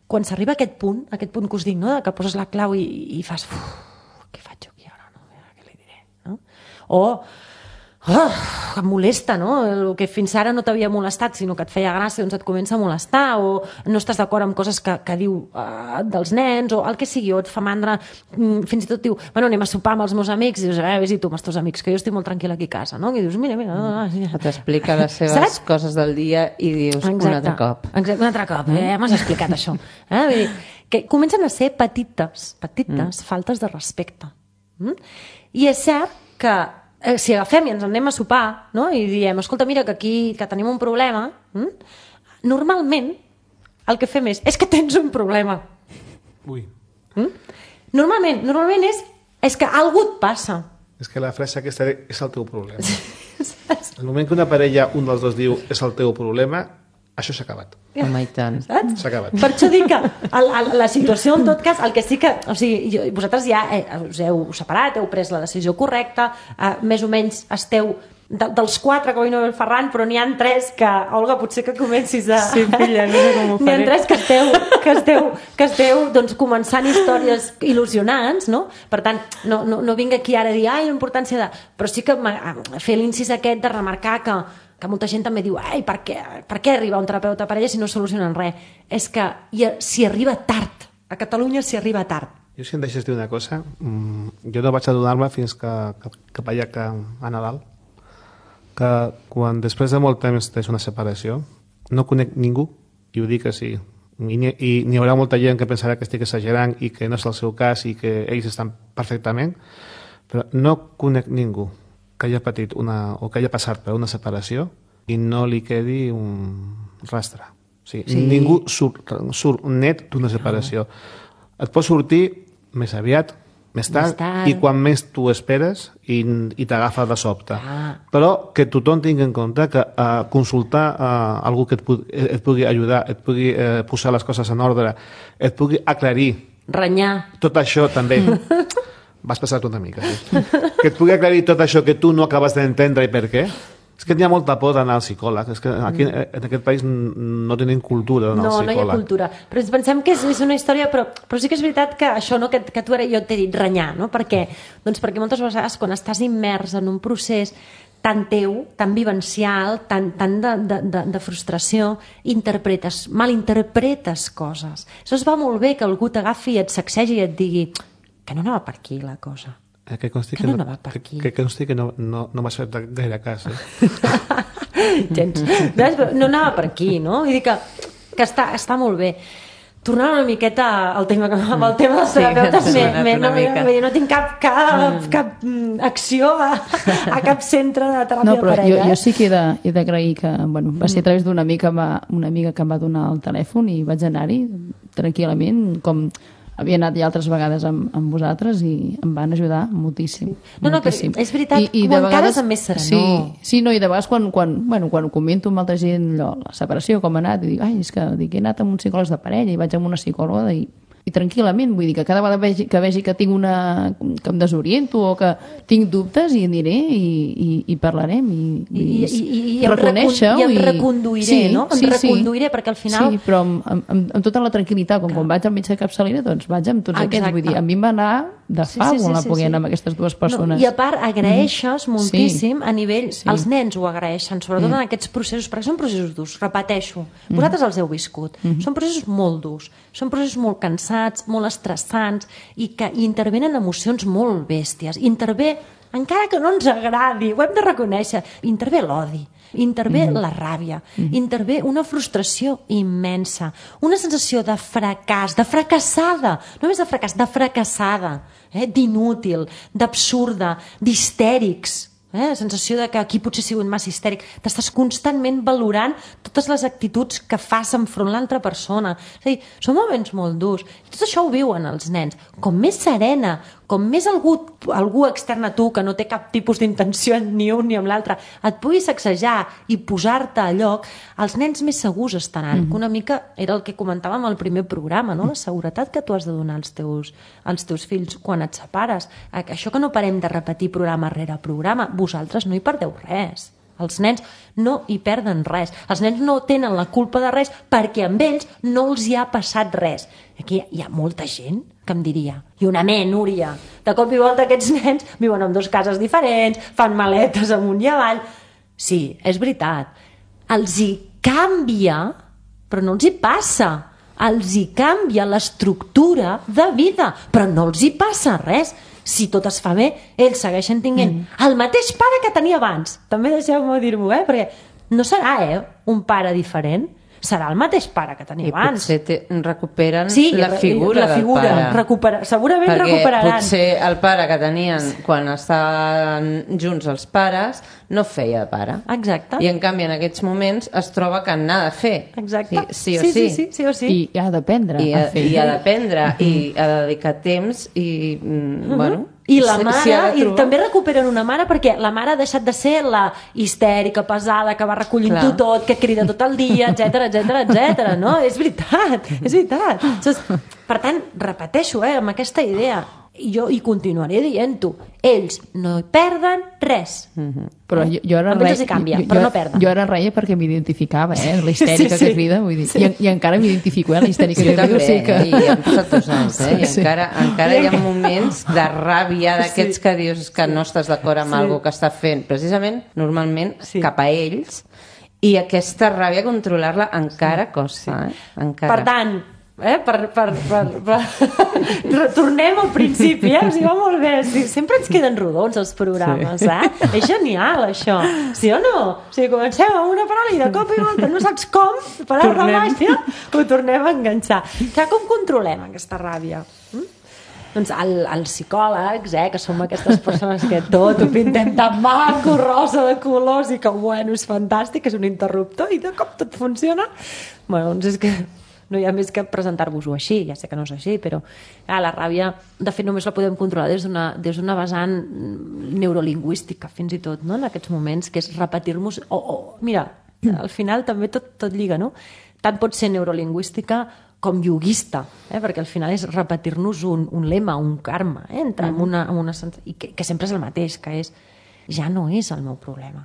Quan s'arriba a aquest punt, a aquest punt que us dic, no? Que poses la clau i, i fas... Què faig jo aquí ara? No? Què li diré? No? O... Oh, em molesta, no? El que fins ara no t'havia molestat, sinó que et feia gràcia, doncs et comença a molestar, o no estàs d'acord amb coses que, que diu uh, dels nens, o el que sigui, o et fa mandra, mm, fins i tot diu, bueno, anem a sopar amb els meus amics, i dius, eh, vés-hi tu amb els teus amics, que jo estic molt tranquil·la aquí a casa, no? I dius, mira, mira... Mm. T'explica les seves Saps? coses del dia i dius, exacte, un altre cop. Exacte, un altre cop, eh? M'has explicat això. Eh? Vull dir, que comencen a ser petites, petites mm. faltes de respecte. Mm? I és cert que si agafem i ens anem a sopar, no? I diem, escolta, mira, que aquí que tenim un problema, hm? Normalment el que fem és, és que tens un problema. Ui. Hm? Normalment, normalment és, és que algú et passa. És que la frase aquesta és el teu problema. El moment que una parella, un dels dos diu és el teu problema, això s'ha acabat. Home, i tant. S'ha acabat. Per això dic que el, el, la situació, en tot cas, el que sí que... O sigui, jo, vosaltres ja eh, us heu separat, heu pres la decisió correcta, eh, més o menys esteu... De, dels quatre que avui no ve el Ferran, però n'hi ha tres que... Olga, potser que comencis a... Sí, filla, no sé com ho faré. N'hi ha tres que esteu, que esteu, que esteu doncs, començant històries il·lusionants, no? Per tant, no, no, no vinc aquí ara a dir, ai, la importància de... Però sí que fer l'incís aquest de remarcar que que molta gent també diu, ai, per què, per què arriba un terapeuta a parella si no solucionen res? És que s'hi arriba tard. A Catalunya s'hi arriba tard. Jo, si em deixes dir una cosa, jo no vaig adonar-me fins que, que, cap allà que a Nadal, que quan després de molt temps tens una separació, no conec ningú, i ho dic així, i n'hi haurà molta gent que pensarà que estic exagerant i que no és el seu cas i que ells estan perfectament, però no conec ningú que hagi patit una, o que hagi passat per una separació i no li quedi un rastre. O sigui, sí. Ningú surt, surt net d'una separació. No. Et pot sortir més aviat, més tard, més tard. I quan més tu esperes i, i t'agafa de sobte. Ah. Però que tothom tingui en compte que uh, consultar uh, algú que et, pu et pugui ajudar, et pugui uh, posar les coses en ordre, et pugui aclarir. Renyar. Tot això també... Vas passar-te una mica. Sí? Que et pugui aclarir tot això que tu no acabes d'entendre i per què. És que n'hi ha molta por d'anar al psicòleg. És que aquí, en aquest país, no tenim cultura d'anar no, al psicòleg. No, no hi ha cultura. Però ens pensem que és, és una història... Però, però sí que és veritat que això, no, que, que tu ara jo t'he dit renyar, no? Per què? Doncs perquè moltes vegades quan estàs immers en un procés tan teu, tan vivencial, tan, tan de, de, de, de frustració, interpretes, malinterpretes coses. Això es va molt bé que algú t'agafi i et sacsegi i et digui que no anava per aquí la cosa. Eh, que consti que, que no no anava per aquí. Que, que consti que no, no, no m'has fet gaire cas, eh? Gens. No anava per aquí, no? Vull dir que, que està, està molt bé. Tornant una miqueta al tema, amb el tema dels terapeutes, sí, me, me, no, no tinc cap, cap, cap acció a, a cap centre de teràpia no, però parella. Jo, jo sí que he d'agrair que, bueno, va ser a través d'una amiga, una amiga que em va donar el telèfon i vaig anar-hi tranquil·lament, com havia anat ja altres vegades amb, amb vosaltres i em van ajudar moltíssim. No, no, moltíssim. però és veritat, I, i quan encara també serà, sí, no? Sí, no, i de vegades quan, quan, bueno, quan ho comento amb altra gent, allò, la separació, com ha anat, i dic, ai, és que dic, he anat amb un psicòleg de parella i vaig amb una psicòloga i, i tranquil·lament, vull dir que cada vegada vegi, que vegi que tinc una... que em desoriento o que tinc dubtes i aniré i, i, i parlarem i, i, I, i, i reconèixer-ho i em reconduiré, sí, no? Em sí, reconduiré sí. Perquè al final... Sí, però amb, amb, amb tota la tranquil·litat, com quan vaig al metge de capçalera, doncs vaig amb tots Exacte. Aquests, vull dir, a mi em va anar de fa sí, sí, sí, la poguent sí, sí. amb aquestes dues persones. No, I a part agraeixes mm. moltíssim sí. a nivell... Sí. Els nens ho agraeixen, sobretot mm. en aquests processos, perquè són processos durs, repeteixo. Mm. Vosaltres els heu viscut. Mm. Són processos molt durs, són processos molt cansats, molt estressants i que i intervenen emocions molt bèsties. Intervé, encara que no ens agradi, ho hem de reconèixer, intervé l'odi, intervé mm. la ràbia, mm. intervé una frustració immensa, una sensació de fracàs, de fracassada, no només de fracàs, de fracassada, eh? D'inútil, d'absurda, d'histèrics. Eh? La sensació de que aquí potser he sigut massa histèric. T'estàs constantment valorant totes les actituds que fas enfront l'altra persona. És a dir, són moments molt durs. Tot això ho viuen els nens. Com més serena, com més algú, algú extern a tu que no té cap tipus d'intenció ni un ni amb l'altre, et pugui sacsejar i posar-te a lloc, els nens més segurs estaran. Mm-hmm. Que una mica era el que comentàvem al primer programa, no? La seguretat que tu has de donar als teus, als teus fills quan et separes. Això que no parem de repetir programa rere programa, vosaltres no hi perdeu res. Els nens no hi perden res. Els nens no tenen la culpa de res perquè amb ells no els hi ha passat res. Aquí hi ha molta gent que em diria, i una ment, Núria, de cop i volta aquests nens viuen en dues cases diferents, fan maletes amunt i avall. Sí, és veritat. Els hi canvia, però no els hi passa. Els hi canvia l'estructura de vida, però no els hi passa res. Si tot es fa bé, ells segueixen tinguent mm. el mateix pare que tenia abans. També deixeu-me dir-m'ho, eh? Perquè no serà eh, un pare diferent, serà el mateix pare que tenia I abans. potser te, recuperen sí, la figura, la figura del pare. Recupera, segurament perquè recuperaran. potser el pare que tenien quan estaven junts els pares no feia de pare. Exacte. I en canvi en aquests moments es troba que n'ha de fer. Exacte. Sí, sí o sí. sí. Sí, sí, sí, o sí. I ha d'aprendre I a ha, fer. i ha d'aprendre i ha de dedicar temps i, mm, Uh-huh. bueno... I la si- mare, si ha de i trobar- també recuperen una mare perquè la mare ha deixat de ser la histèrica, pesada, que va recollint-ho Clar. tot, que crida tot el dia, etc etc etc. no? És veritat, és veritat. Saps? Per tant, repeteixo, eh, amb aquesta idea, i jo hi continuaré dient-ho, ells no hi perden res. Mhm. Però jo, jo ara Amb ells reia, els hi canvia, jo, però jo, no perden. Jo ara reia perquè m'identificava, eh? La histèrica Sí, sí. que crida, vull dir. I, I encara m'identifico, eh? La histèrica Jo que crida. també, O sigui que... i han passat dos anys, eh? I Sí. encara, encara hi ha moments de ràbia d'aquests que dius que no estàs d'acord amb Sí. algú que està fent, precisament, normalment, Sí. cap a ells, i aquesta ràbia, controlar-la encara costa, eh? Encara. Per tant, eh, per, per, per, per... tornem al principi, eh? O sigui, va molt bé. Sí, sempre ens queden rodons els programes, sí. eh? És genial, això. Sí o no? O sigui, comencem amb una paraula i de cop i volta no saps com, per art de màgia, ho tornem a enganxar. Que com controlem aquesta ràbia? Mm? Doncs el, els psicòlegs, eh, que som aquestes persones que tot ho pintem tan maco, rosa de colors i que, bueno, és fantàstic, és un interruptor i de cop tot funciona. Bueno, doncs és que no hi ha més que presentar-vos-ho així, ja sé que no és així, però ah, la ràbia, de fet, només la podem controlar des d'una des d'una vessant neurolingüística, fins i tot, no?, en aquests moments, que és repetir-nos... O, o, mira, al final també tot, tot lliga, no? Tant pot ser neurolingüística com yoguista, eh? Perquè al final és repetir-nos un, un lema, un karma, eh? Entrar en una, en una sens... I que, que sempre és el mateix, que és ja no és el meu problema.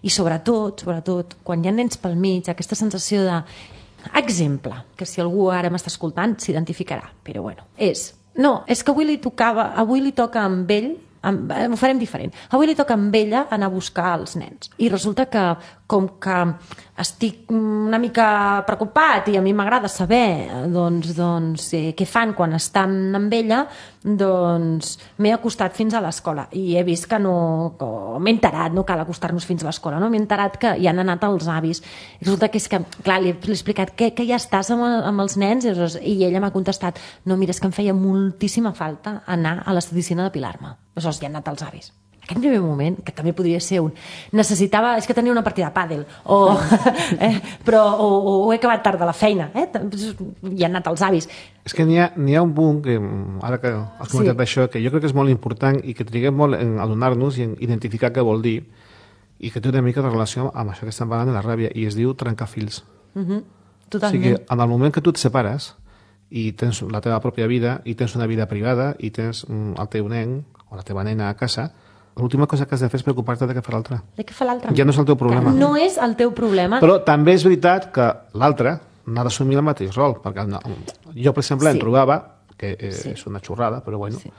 I sobretot, sobretot, quan hi ha nens pel mig, aquesta sensació de... Exemple, que si algú ara m'està escoltant s'identificarà, però bueno, és... No, és que avui li tocava, avui li toca amb ell, amb, ho farem diferent. Avui li toca amb ella anar a buscar els nens. I resulta que, com que estic una mica preocupat i a mi m'agrada saber doncs, doncs, eh, què fan quan estan amb ella, doncs m'he acostat fins a l'escola i he vist que no... Que m'he enterat, no cal acostar-nos fins a l'escola, no? M'he enterat que hi han anat els avis. I resulta que és que, clar, li he explicat que, que ja estàs amb, amb els nens i, i ella m'ha contestat no, mira, és que em feia moltíssima falta anar a l'estadicina a depilar-me. Aleshores, hi han anat els avis. Aquest primer moment, que també podria ser un... Necessitava... És que tenia una partida de pàdel, o, eh, però, o, o he acabat tard de la feina, eh? Hi han anat els avis. És que n'hi ha, n'hi ha un punt, que, ara que has comentat Sí. això, que jo crec que és molt important i que triguem molt en adonar-nos i en identificar què vol dir i que té una mica de relació amb això que estem parlant de la ràbia, i es diu trencar fils. Uh-huh. O Totalment. sigui, en el moment que tu et separes i tens la teva pròpia vida i tens una vida privada i tens mm, el teu nen o la teva nena a casa, l'última cosa que has de fer és preocupar-te de què fa l'altre. De què fa l'altre? Ja no és el teu problema. No és el teu problema. Però també és veritat que l'altre n'ha d'assumir el mateix rol, perquè no, jo, per exemple, Sí. em trobava, que eh, Sí. és una xorrada, però bueno, Sí.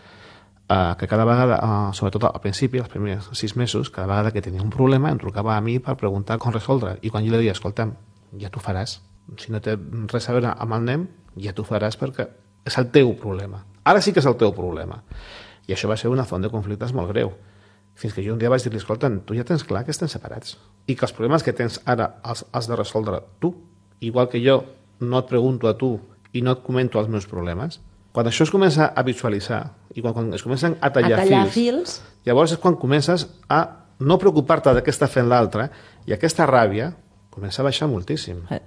eh, que cada vegada, eh, sobretot al principi, els primers sis mesos, cada vegada que tenia un problema em trucava a mi per preguntar com resoldre. I quan jo li deia, escolta'm, ja t'ho faràs. Si no té res a veure amb el nen, ja t'ho faràs perquè és el teu problema. Ara sí que és el teu problema. I això va ser una font de conflictes molt greu. Fins que jo un dia vaig dir-li, escolta, tu ja tens clar que estem separats i que els problemes que tens ara els has de resoldre tu, igual que jo no et pregunto a tu i no et comento els meus problemes. Quan això es comença a visualitzar i quan, quan es comencen a tallar, A tallar fils, fils. llavors és quan comences a no preocupar-te de què està fent l'altre, i aquesta ràbia comença a baixar moltíssim. Eh.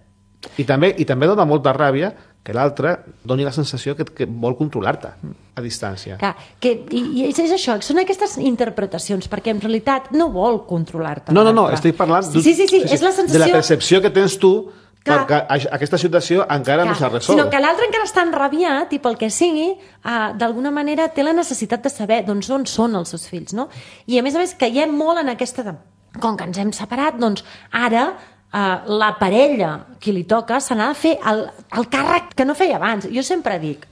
I també, i també dona molta ràbia que l'altre doni la sensació que, que vol controlar-te a distància. Clar, que, i, i és això, són aquestes interpretacions, perquè en realitat no vol controlar-te. No, no, no, l'altre. estic parlant Sí, sí, sí, sí, és la sensació... de la percepció que tens tu, Clar. perquè a- aquesta situació encara no s'ha resolt. Sinó que l'altre encara està enrabiat i pel que sigui, uh, d'alguna manera té la necessitat de saber doncs, on són els seus fills, no? I a més a més caiem molt en aquesta... De... Com que ens hem separat, doncs ara uh, la parella qui li toca se n'ha de fer el, el càrrec que no feia abans. Jo sempre dic,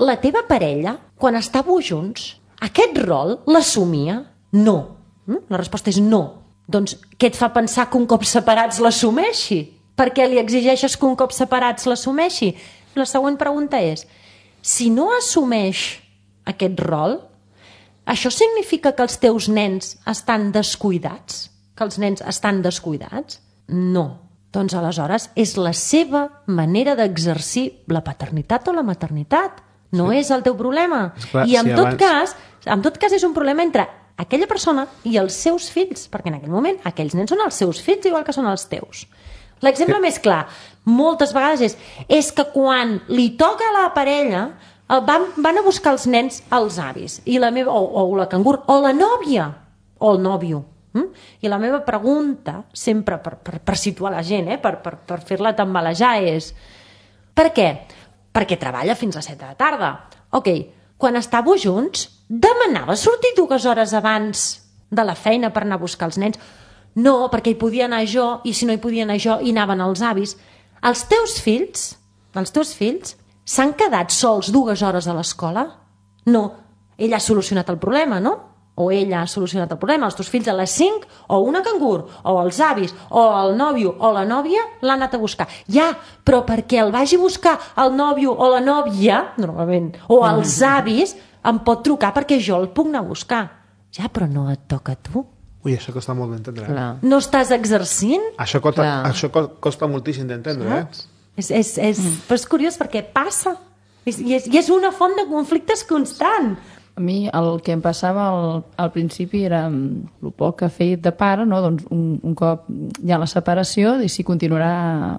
la teva parella, quan estàveu junts, aquest rol l'assumia? No. Mm? La resposta és no. Doncs què et fa pensar que un cop separats l'assumeixi? Per què li exigeixes que un cop separats l'assumeixi? La següent pregunta és, si no assumeix aquest rol, això significa que els teus nens estan descuidats? Que els nens estan descuidats? No. Doncs aleshores és la seva manera d'exercir la paternitat o la maternitat. No Sí. és el teu problema. Esclar, I en si tot abans- cas, en tot cas és un problema entre aquella persona i els seus fills, perquè en aquell moment aquells nens són els seus fills igual que són els teus. L'exemple Sí. més clar, moltes vegades és, és que quan li toca a la parella eh, van, van a buscar els nens als avis, i la meva, o, o la cangur, o la nòvia, o el nòvio. Mm? I la meva pregunta, sempre per, per, per situar la gent, eh? per, per, per fer-la tambalejar, és per què? Perquè treballa fins a set de la tarda. Ok, quan estàveu junts, demanava sortir dues hores abans de la feina per anar a buscar els nens? No, perquè hi podia anar jo, i si no hi podia anar jo, hi anaven els avis. Els teus fills, els teus fills, s'han quedat sols dues hores a l'escola? No, ell ha solucionat el problema, no? O ella ha solucionat el problema. Els teus fills a les cinc, o una cangur, o els avis, o el nòvio, o la nòvia, l'han anat a buscar. Ja, però perquè el vagi a buscar el nòvio o la nòvia, normalment, o els avis, em pot trucar perquè jo el puc anar a buscar. Ja, però no et toca a tu. Ui, això costa molt d'entendre. Eh? Clar. No estàs exercint? Això, costa, Clar. això co- costa moltíssim d'entendre, eh? És, és, és, però és curiós perquè passa. És, i, és, I és una font de conflictes constant. A mi el que em passava al, al principi era mm, el poc que he fet de pare, no? Doncs un, un cop hi ha la separació i si continuarà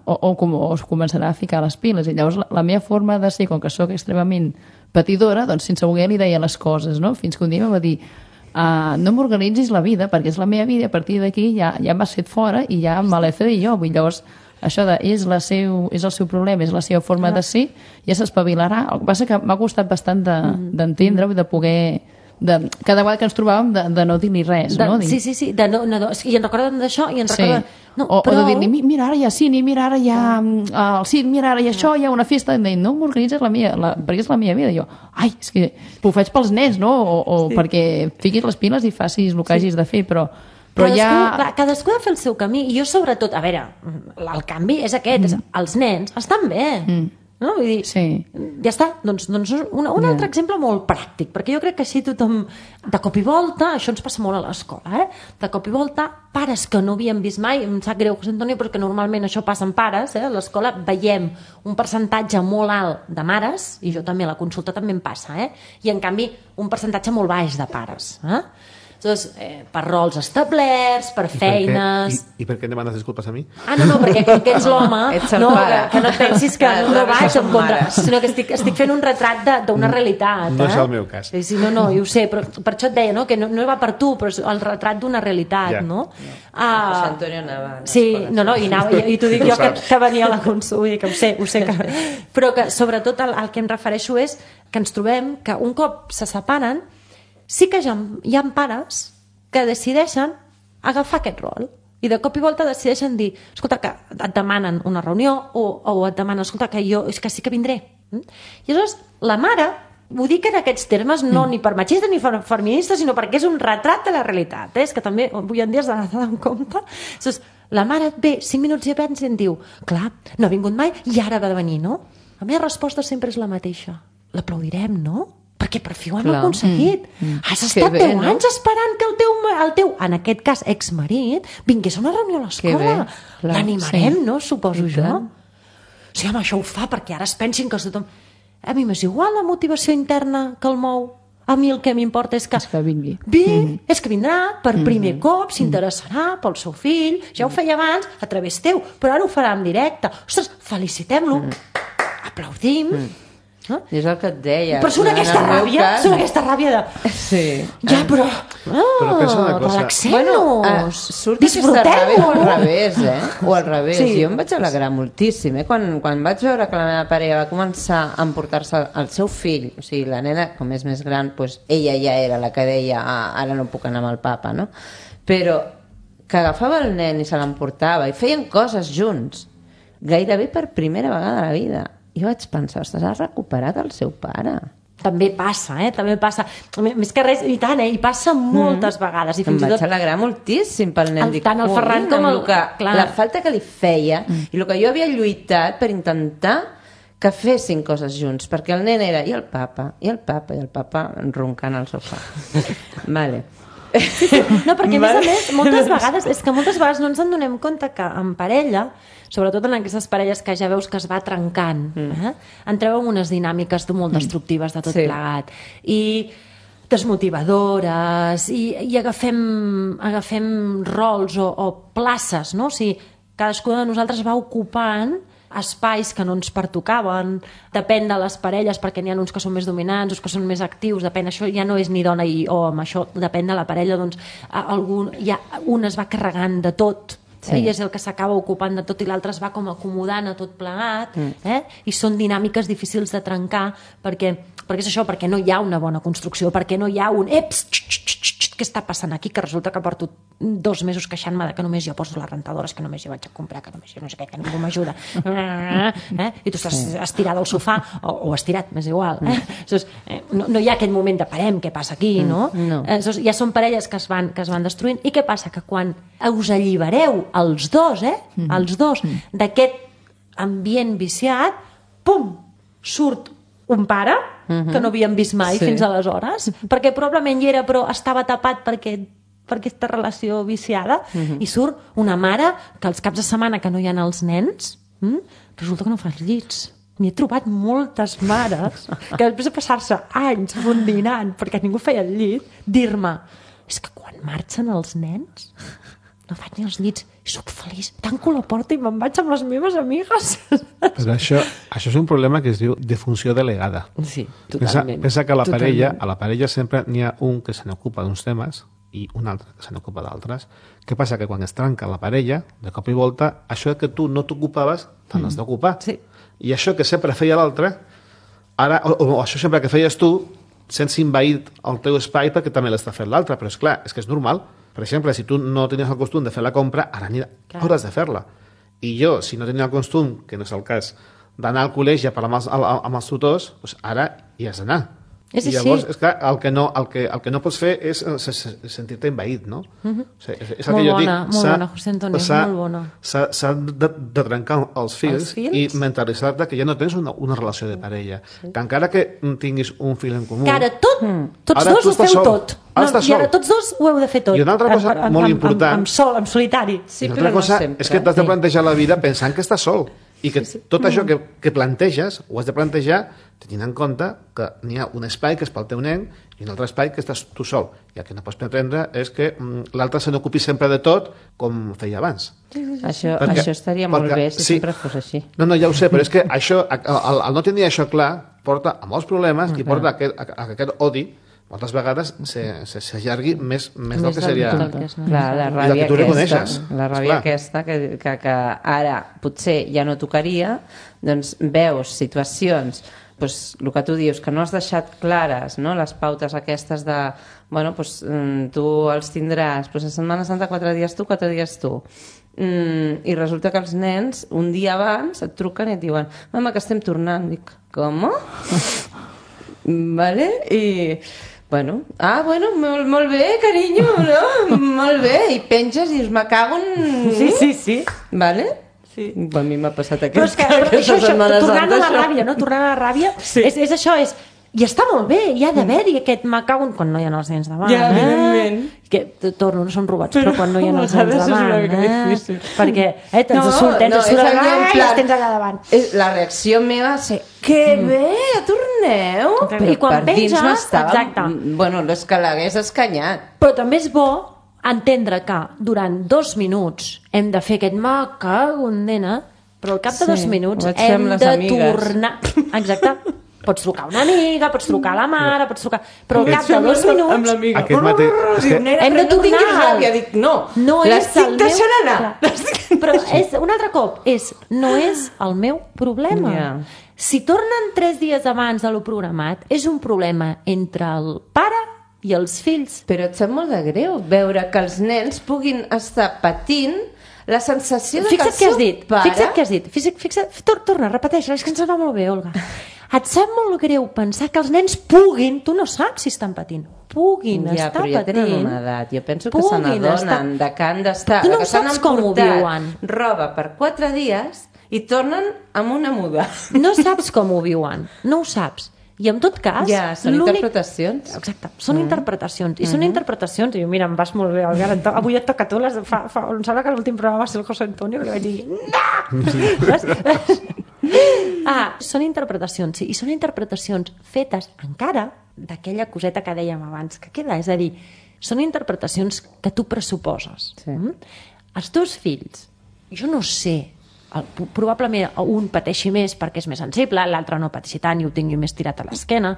o, o, com, o es començarà a ficar les piles. I llavors la, la meva forma de ser, com que sóc extremament patidora, doncs sense voler li deia les coses, no? Fins que un dia em va dir uh, no m'organitzis la vida perquè és la meva vida i a partir d'aquí ja, ja m'has fet fora i ja me l'he fet jo. Vull, llavors això de, és, la seu, és el seu problema, és la seva forma de ser, ja s'espavilarà. El que passa que m'ha costat bastant d'entendre de, de poder... De, cada vegada que ens trobàvem de, de no dir-li res, De, no? Dir, sí, sí, sí. De no, no, I en recorden d'això i en sí. recorden... No, o, però... o de dir-li, "Mi- mira, ara hi ha cine, mira, ara hi ha mm, el circ, mira, ara hi ha això, hi ha una festa, i em deien, no m'organitzes la meva, la, perquè és la meva vida. I jo, ai, és que ho faig pels nens, no? O, o sí. perquè fiquis les piles i facis el que hagis de fer, però, però cadascú, ja... clar, cadascú ha de fer el seu camí. I jo, sobretot, a veure, el canvi és aquest. Mm. És, els nens estan bé. Mm. No? Vull dir, Sí. ja està. Doncs, doncs un, un altre exemple molt pràctic, perquè jo crec que així tothom, de cop i volta, això ens passa molt a l'escola, eh? De cop i volta, pares que no havíem vist mai, em sap greu, José Antonio, però que normalment això passa amb pares, eh? A l'escola veiem un percentatge molt alt de mares, i jo també, a la consulta també em passa, eh? I en canvi un percentatge molt baix de pares, eh? Doncs, eh, per rols establerts, per feines... I, I per què em demanes disculpes a mi? Ah, no, no, perquè com que ets l'home, Ets el no, pare. que, que no et pensis que Clar, no, no clar, vaig som en contra, mares. sinó que estic, estic fent un retrat de- d'una realitat. No eh? és el meu cas. Sí, sí, no, no, jo ho sé, però per això et deia, no?, que no, no va per tu, però és el retrat d'una realitat, Ja. no? José Antonio anava a Sí, l'escola, no, no, i, anava, i, i t'ho dic Ho jo que, saps. que venia a la consulta, vull dir que ho sé, ho sé que... Però que sobretot el, el que em refereixo és que ens trobem que un cop se separen, sí que ja, hi ha pares que decideixen agafar aquest rol i de cop i volta decideixen dir, escolta, que et demanen una reunió o, o et demanen, escolta, que jo és que sí que vindré. Mm? I aleshores la mare, ho dic en aquests termes no ni per machista ni per feminista, sinó perquè és un retrat de la realitat, eh? És que també avui en dia has d'anar en compte. Aleshores, la mare ve cinc minuts i abans i em diu, clar, no ha vingut mai i ara va de venir, no? La meva resposta sempre és la mateixa. L'aplaudirem, no? Perquè per fi ho hem Clar. aconseguit. Mm. Mm. Has Que estat bé, deu no? anys esperant que el teu, el teu, en aquest cas, exmarit, vingués a una reunió a Que l'escola. bé, clar, L'animarem, sí. no? Suposo I jo. tant. Sí, home, això ho fa perquè ara es pensin que tothom... A mi m'és igual la motivació interna que el mou. a mi el que m'importa és que... És que vingui. Bé, mm-hmm. és que vindrà per primer mm-hmm. cop, s'interessarà pel seu fill, ja ho feia abans a través teu, però ara ho farà en directe. Ostres, felicitem-lo, mm. aplaudim... Mm. No? I és el que et deia. Però surt aquesta ràbia, cas... surt aquesta ràbia de... Sí. Ja, però... Oh, però pensa una cosa. Relaxem-nos, bueno, uh, surt aquesta ràbia o al revés, eh? O al revés. Sí. Jo em vaig alegrar moltíssim, eh? Quan, quan vaig veure que la meva parella va començar a emportar-se el seu fill, o sigui, la nena, com és més gran, doncs ella ja era la que deia ah, ara no puc anar amb el papa, no? Però que agafava el nen i se l'emportava i feien coses junts, gairebé per primera vegada a la vida. Jo vaig pensar, ostres, ha recuperat el seu pare. També passa, eh? També passa. Més que res, i tant, eh? I passa moltes mm. vegades. I fins em i vaig tot... alegrar moltíssim pel nen. El, Dic, tant el Ferran com el... Que, clar. La falta que li feia mm. i el que jo havia lluitat per intentar que fessin coses junts, perquè el nen era i el papa, i el papa, i el papa roncant al sofà. Vale. Sí, sí. No, perquè a més a més, moltes vegades, és que moltes vegades no ens en donem compte que en parella, sobretot en aquestes parelles que ja veus que es va trencant, mm. eh? entreu en unes dinàmiques molt destructives de tot sí. plegat. I desmotivadores, i, i agafem, agafem rols o, o places, no? O sigui, cadascú de nosaltres va ocupant espais que no ens pertocaven, depèn de les parelles, perquè n'hi ha uns que són més dominants, uns que són més actius, depèn, això ja no és ni dona i home, això depèn de la parella, doncs algun, ja, un es va carregant de tot, sí. eh? I és el que s'acaba ocupant de tot i l'altre es va com acomodant a tot plegat, mm. eh? I són dinàmiques difícils de trencar perquè, perquè és això, perquè no hi ha una bona construcció, perquè no hi ha un eps, x, x, x, x, què està passant aquí, que resulta que porto dos mesos queixant-me que només jo poso les rentadores, que només jo vaig a comprar, que només jo no sé què, que ningú m'ajuda, eh? I tu estàs estirada al sofà o, o estirat, m'és igual, eh? Llavors, eh, no, no hi ha aquest moment de parem, què passa aquí, no? no. Eh, llavors, ja són parelles que es, van, que es van destruint, i què passa? Que quan us allibereu els dos, eh? els dos, d'aquest ambient viciat, pum, surt un pare uh-huh. que no havíem vist mai sí. fins aleshores, perquè probablement hi era però estava tapat perquè per aquesta relació viciada, uh-huh. i surt una mare que els caps de setmana que no hi ha els nens, hm, resulta que no fa els llits. N'hi he trobat moltes mares que després de passar-se anys rondinant perquè ningú feia el llit, dir-me, és que quan marxen els nens no faig ni els llits, i soc feliç, tanco la porta i me'n vaig amb les meves amigues. Però això, això és un problema que es diu defunció delegada. Sí, Pensa, totalment. pensa que a la, totalment. parella, a la parella sempre n'hi ha un que se n'ocupa d'uns temes i un altre que se n'ocupa d'altres. Què passa? Que quan es trenca la parella, de cop i volta, això que tu no t'ocupaves, te n'has mm. d'ocupar. Sí. I això que sempre feia l'altre, ara, o, o això sempre que feies tu, sents invaït el teu espai perquè també l'està fent l'altre. Però és clar, és que és normal. Per exemple, si tu no tenies el costum de fer la compra, ara hauràs de fer-la. I jo, si no tenia el costum, que no és el cas, d'anar al col·legi a parlar amb els, amb els tutors, doncs ara hi has d'anar. És I llavors, és clar, el que no, el que, el que no pots fer és sentir-te envaït, no? Uh-huh. O sigui, és, és el molt que jo bona, dic. molt bona, José Antonio, molt bona. S'ha de, de trencar els fils, els fils? I mentalitzar-te que ja no tens una, una relació de parella. Sí. Que encara que tinguis un fil en comú... Que ara tot, tots ara dos ho feu sol. tot. No, I ara tots dos ho heu de fer tot. I una altra cosa en, en, molt en, important... En, en, sol, en solitari. Sí, I una però altra cosa no sempre. és que t'has de plantejar la vida pensant que estàs sol. I que tot això que, que planteges ho has de plantejar tenint en compte que n'hi ha un espai que és pel teu nen i un altre espai que estàs tu sol. I el que no pots pretendre és que mm, l'altre se n'ocupi sempre de tot com feia abans. Això, perquè, això estaria molt perquè, bé si sí, sempre fos així. No, no, ja ho sé, però és que això, el, el no tenir això clar porta a molts problemes i porta a aquest, a, a aquest odi moltes vegades s'allargui més, més, més del que seria... Que clar, la ràbia que aquesta, la ràbia aquesta que, que, que ara potser ja no tocaria, doncs veus situacions, doncs, el que tu dius, que no has deixat clares, no? Les pautes aquestes de, bueno, doncs, tu els tindràs, doncs a Setmana Santa quatre dies tu, quatre dies tu. Mm, i resulta que els nens un dia abans et truquen i et diuen mama, que estem tornant. Dic, com? Vale? I... Bueno, ah, bueno, molt, molt bé, carinyo, no? Molt bé, i penges i dius, me cago en... Sí, sí, sí. Vale? Sí. A mi m'ha passat però aquest, és que, però aquesta això, això, Setmana tornant Santa. a la ràbia, no? Tornant a la ràbia, sí. és, és això, és... I està molt bé, hi ha d'haver-hi aquest macau quan no hi ha els nens davant. Ja, eh? evidentment. Que, torno, no són robats, però, però quan no hi ha els nens és una davant. mica Eh? difícil. Perquè eh, tens no, surt, tens no, surt, és allò en ai, plan- els tens allà davant. És- La reacció meva va ser que bé, ja torneu. I quan per dins penges, m'estava... exacte. Bueno, és que l'hagués escanyat. Però també és bo entendre que durant dos minuts hem de fer aquest macago en nena, però al cap de Sí, dos minuts ho vaig fer hem amb les de amigues. tornar... Exacte. Pots trucar a una amiga, pots trucar a la mare, pots trucar... Però al Ho cap vaig fer de amb dos la- minuts... amb l'amiga. Aquest mateix... És Diu, que nena, Hem de però no tinguis tornar. ràbia. Dic, no, no l'estic és el deixant meu... anar. Clar. Però és, un altre cop, és, no és el meu problema. Ja. Si tornen tres dies abans de lo programat, és un problema entre el pare i els fills. Però et sap molt de greu veure que els nens puguin estar patint la sensació de Fixa't que què el has seu dit, pare... fixa't què has dit. Fixa't, fixa't, tor torna, repeteix, és que ens va molt bé, Olga. Et sap molt greu pensar que els nens puguin, tu no saps si estan patint, puguin Ja, estar però ja tenen patint. una edat. Jo penso que se puguin n'adonen estar- de que han d'estar... Tu no de que s'han saps com ho emportat viuen. roba per quatre dies i tornen amb una muda. No saps com ho viuen, no ho saps. I en tot cas... Ja, són l'únic- interpretacions. Exacte, són mm. interpretacions. I mm. són interpretacions. I jo, mira, em vas molt bé, Olga, ara et to- avui et toca a tu. Les, fa, fa, em sembla que l'últim programa va ser el José Antonio, que li vaig dir... No! ah, són interpretacions, sí. I són interpretacions fetes encara d'aquella coseta que dèiem abans, que queda, és a dir, són interpretacions que tu pressuposes. Sí. Mm? Els teus fills, jo no sé, el, probablement un pateixi més perquè és més sensible, l'altre no pateixi tant i ho tingui més tirat a l'esquena,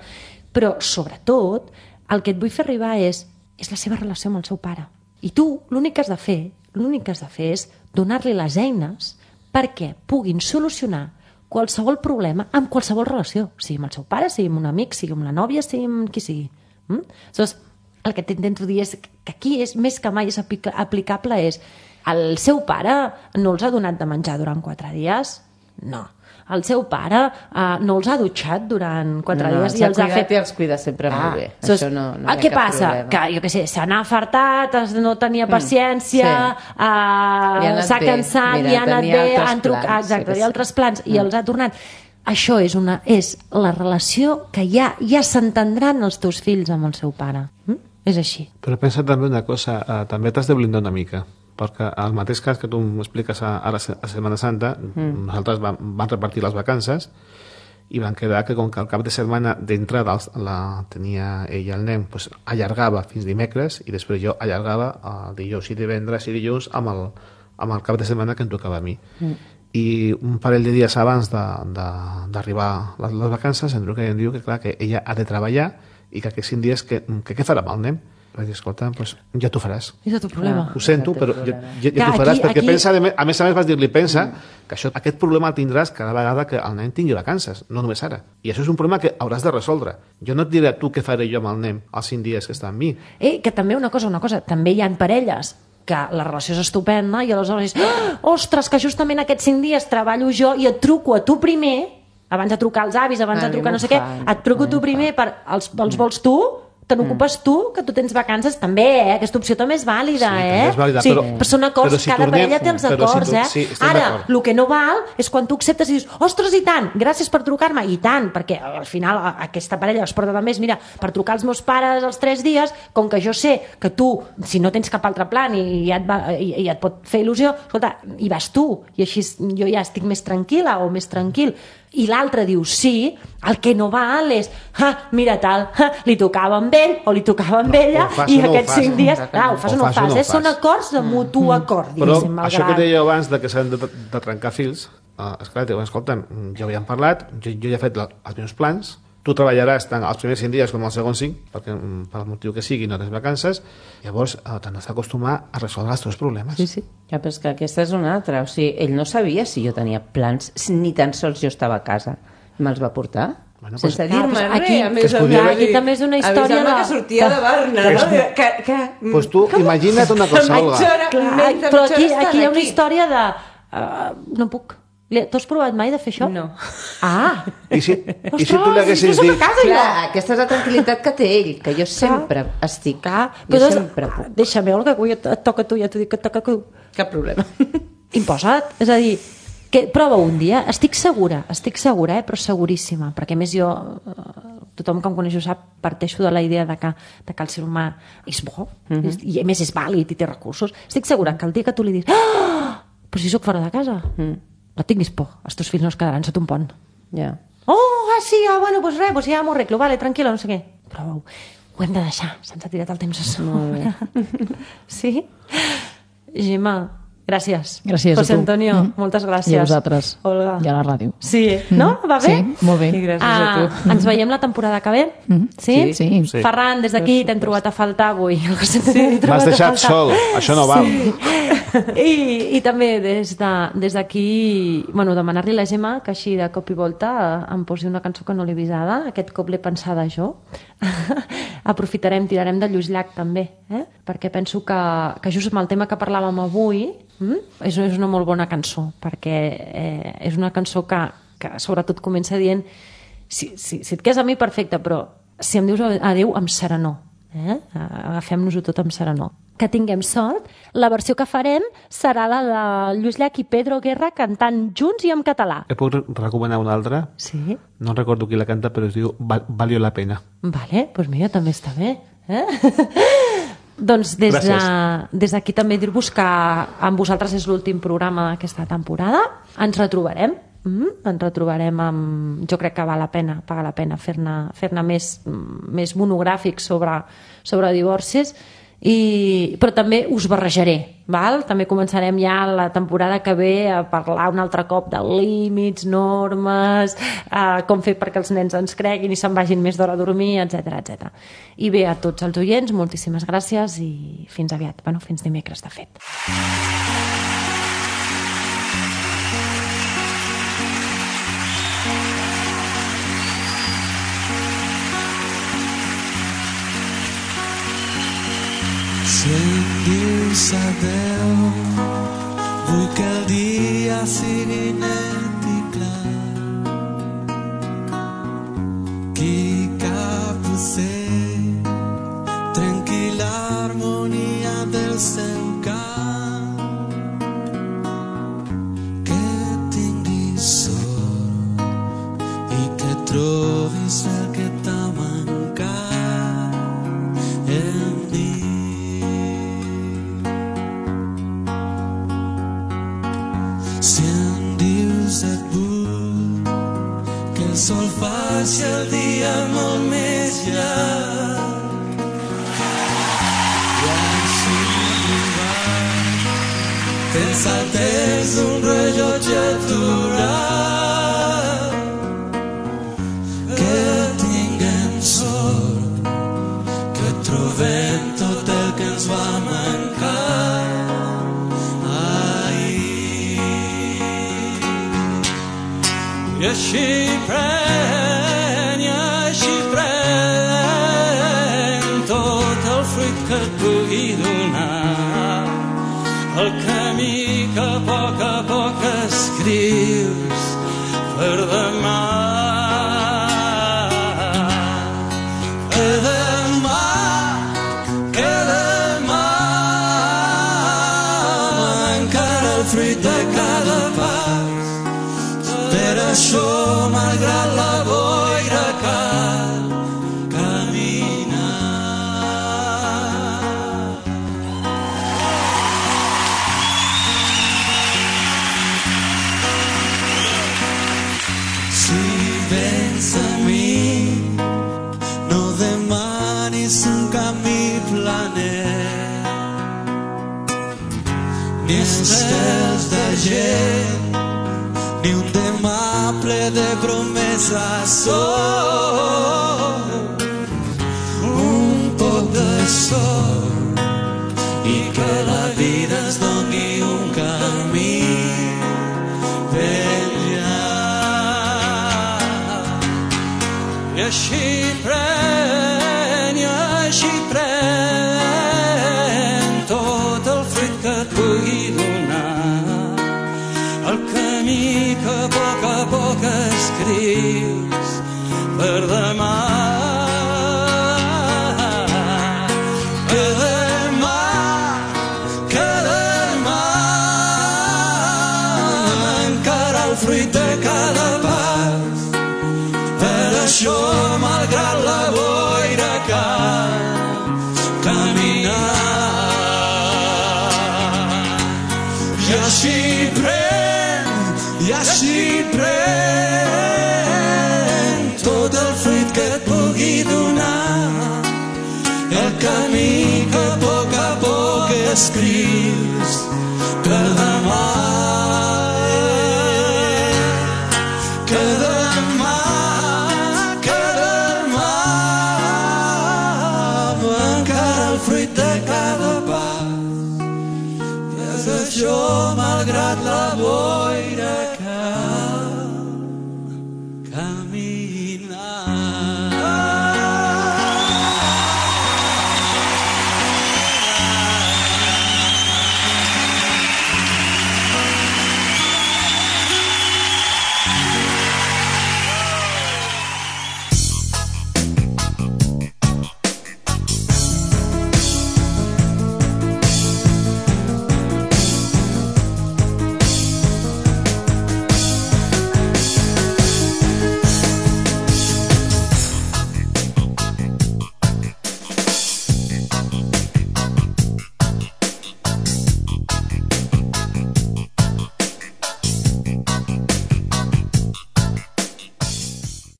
però sobretot el que et vull fer arribar és, és la seva relació amb el seu pare. I tu l'únic que has de fer, l'únic que has de fer és donar-li les eines perquè puguin solucionar qualsevol problema amb qualsevol relació, sigui amb el seu pare, sigui amb un amic, sigui amb la nòvia, sigui amb qui sigui. Mm? Aleshores, el que t'intento dir és que aquí és més que mai és aplica- aplicable és el seu pare no els ha donat de menjar durant quatre dies? No. El seu pare uh, no els ha dutxat durant quatre no, dies i i els ha cuidat fet... i els cuida sempre molt bé. Aleshores, Això no, no ah, hi ha què cap passa? problema. Que, jo què sé, se n'ha afartat, es- no tenia paciència, sí. Li ha uh, anat s'ha bé. cansat, Mira, li ha anat tenia bé, altres han trucat, plans, exacte, sí que hi ha sí. altres plans, i els ha tornat. Això és, una, és la relació que ja ja s'entendran els teus fills amb el seu pare. Mm? És així. Però pensa també una cosa, eh, també t'has de blindar una mica, perquè el mateix cas que tu m'expliques a, a la se- a Setmana Santa, mm. nosaltres vam, vam repartir les vacances i van quedar que com que el cap de setmana d'entrada els- la tenia ell el nen, pues, allargava fins dimecres i després jo allargava el dijous i divendres i dilluns amb el, amb el cap de setmana que em tocava a mi. Mm. I un parell de dies abans d'arribar les, les vacances em truca i em diu que clar, que ella ha de treballar i que aquests cinc dies que, que què farà amb el nen? Vaig dir, escolta, pues, ja t'ho faràs. És el teu problema. Ho sento, però ja, ja, ja Clar, t'ho faràs, aquí- perquè aquí- pensa, de me- a més a més vas dir-li, pensa que això, aquest problema el tindràs cada vegada que el nen tingui vacances, no només ara. I això és un problema que hauràs de resoldre. Jo no et diré a tu què faré jo amb el nen els cinc dies que està amb mi. Eh, que també una cosa, una cosa, també hi ha parelles que la relació és estupenda i aleshores és, ah, ostres, que justament aquests cinc dies treballo jo i et truco a tu primer, abans de trucar als avis, abans A de mi trucar m'ho no sé què, fan, et truco a mi tu m'ho primer per els, els vols tu, te n'ocupes tu, que tu tens vacances, també, eh? Aquesta opció també és vàlida, Sí, eh? també és vàlida, sí, però- però són acords, però si cada tornem- parella té els però si acords, tu- eh? sí, estem Ara, d'acord. el que no val és quan tu acceptes i dius, ostres, i tant, gràcies per trucar-me, i tant, perquè al final a- aquesta parella es porta també, mira, per trucar als meus pares els tres dies, com que jo sé que tu, si no tens cap altre plan i ja et, va, i, i et pot fer il·lusió, escolta, hi vas tu, i així jo ja estic més tranquil·la o més tranquil, i l'altre diu sí, el que no val és, ah, mira tal, ah, li tocava amb ell o li tocava amb ella, ho fas i o no ho aquests fas. cinc dies, O ah, ho fas o no ho fas, eh? Són acords de mutu acord, Però diguéssim, això que malgrat... deia abans de que s'han de, de trencar fils, uh, esclar, diu, escolta, ja ho havíem parlat, jo, jo ja he fet la, els meus plans, tu treballaràs tant els primers cinc dies com els segons cinc, perquè mm, per el motiu que sigui no tens vacances, llavors uh, t'has d'acostumar a resoldre els teus problemes. Sí, sí. Ja, però és que aquesta és una altra. O sigui, ell no sabia si jo tenia plans, ni tan sols jo estava a casa. Me'ls va portar. Bueno, Sense pues, dir-me clar, res. aquí- a que més es a podia més, haver dit- Aquí també és una història avisant-me de- que sortia de Barna, no? Que, que, Pues tu, imagina't una cosa, Olga. mitja hora, Clar, menys de però mitja aquí, hora aquí hi ha una estant història de... Uh, no puc. Li- Tu has provat mai de fer això? No. Ah! I si, i si tu Ostres, li haguessis jo soc a dit... casa, Clar, jo. aquesta és la tranquil·litat que té ell, que jo sempre estic. Clar, Jo però doncs, sempre puc. deixa'm, Olga, que avui et, et toca a tu, ja t'ho dic que et toca a tu. Cap problema. Imposa't. És a dir, Que prova un dia, estic segura, estic segura, eh, però seguríssima, perquè a més jo, tothom que em coneix ho sap, parteixo de la idea de que, de que el ser humà és bo, mm-hmm. i a més és vàlid i té recursos. Estic segura que el dia que tu li dius ah, però si sóc fora de casa, mm. no tinguis por, els teus fills no es quedaran sota un pont. Ja. Yeah. Oh, ah, sí, ah, bueno, doncs res, doncs ja m'ho arreglo, vale, tranquil·la, no sé què. Però ho hem de deixar, se'ns ha tirat el temps a sobre. Sí? Gemma, gràcies. Gràcies José a tu. Antonio, mm. moltes gràcies. I a vosaltres. Olga. I a la ràdio. Sí, no? Va bé? Sí, molt bé. I gràcies ah, a tu. Ens veiem la temporada que ve? Mm. Sí? Sí. Sí. Ferran, des d'aquí t'hem trobat a faltar avui. Sí. M'has deixat sol, això no val. Sí. I, i també des d'aquí de, bueno, demanar-li a la Gemma que així de cop i volta em posi una cançó que no l'he visada, aquest cop l'he pensada jo. Aprofitarem, tirarem de Lluís Llach també, eh? Perquè penso que, que just amb el tema que parlàvem avui mm? és, és una molt bona cançó, perquè eh, és una cançó que, que sobretot comença dient si, si, si et quedes a mi perfecte, però si em dius adéu amb serenor, eh? Agafem-nos-ho tot amb serenor. Que tinguem sort. La versió que farem serà la de Lluís Llach i Pedro Guerra cantant junts i en català. Et puc recomanar una altra? Sí? No recordo qui la canta, però es diu Val Valió la pena. Vale, doncs pues mira, també està bé. Eh? Doncs des de, des d'aquí també dir-vos que amb vosaltres és l'últim programa d'aquesta temporada. Ens retrobarem. Mm, ens retrobarem amb... Jo crec que val la pena, paga la pena fer-ne fer-ne més, més monogràfics sobre, sobre divorcis. I, però també us barrejaré, val? També començarem ja la temporada que ve a parlar un altre cop de límits, normes, eh, com fer perquè els nens ens creguin i se'n vagin més d'hora a dormir, etcètera, etcètera. I bé, a tots els oients, moltíssimes gràcies i fins aviat, bueno, fins dimecres de fet. Si em dius adeu, vull que el dia sigui net i clar, que cap ocell trenqui l'harmonia del seu cant, que tinguis sort i que trobis el que t'ha mancat en mi. Si em dius et vull, que el sol faci el dia molt més llarg, i així arribar, pensa tens un rellotge aturat, que tinguem sort, que trobem tot el que ens va mancar. I així pren, i així pren tot el fruit que et pugui donar, el camí que a poc a poc escrius per demà. Que demà, que demà encara el fruit de cada pas. Per això, malgrat la boira, cal caminar. Si vens a mi, no demanis un camí planer, ni estels de gent, ni un demà ple de promeses, sol, un poc de sol, i que la vida ens doni un camí ben llarg. I així pren, i així pren tot el fruit que et pugui donar, el camí que a poc a poc escrius per demà. Que demà, que demà encara camí que a poc a poc escrius, que demà, que demà, que demà encara el fruit de cada pas. I és això malgrat la boca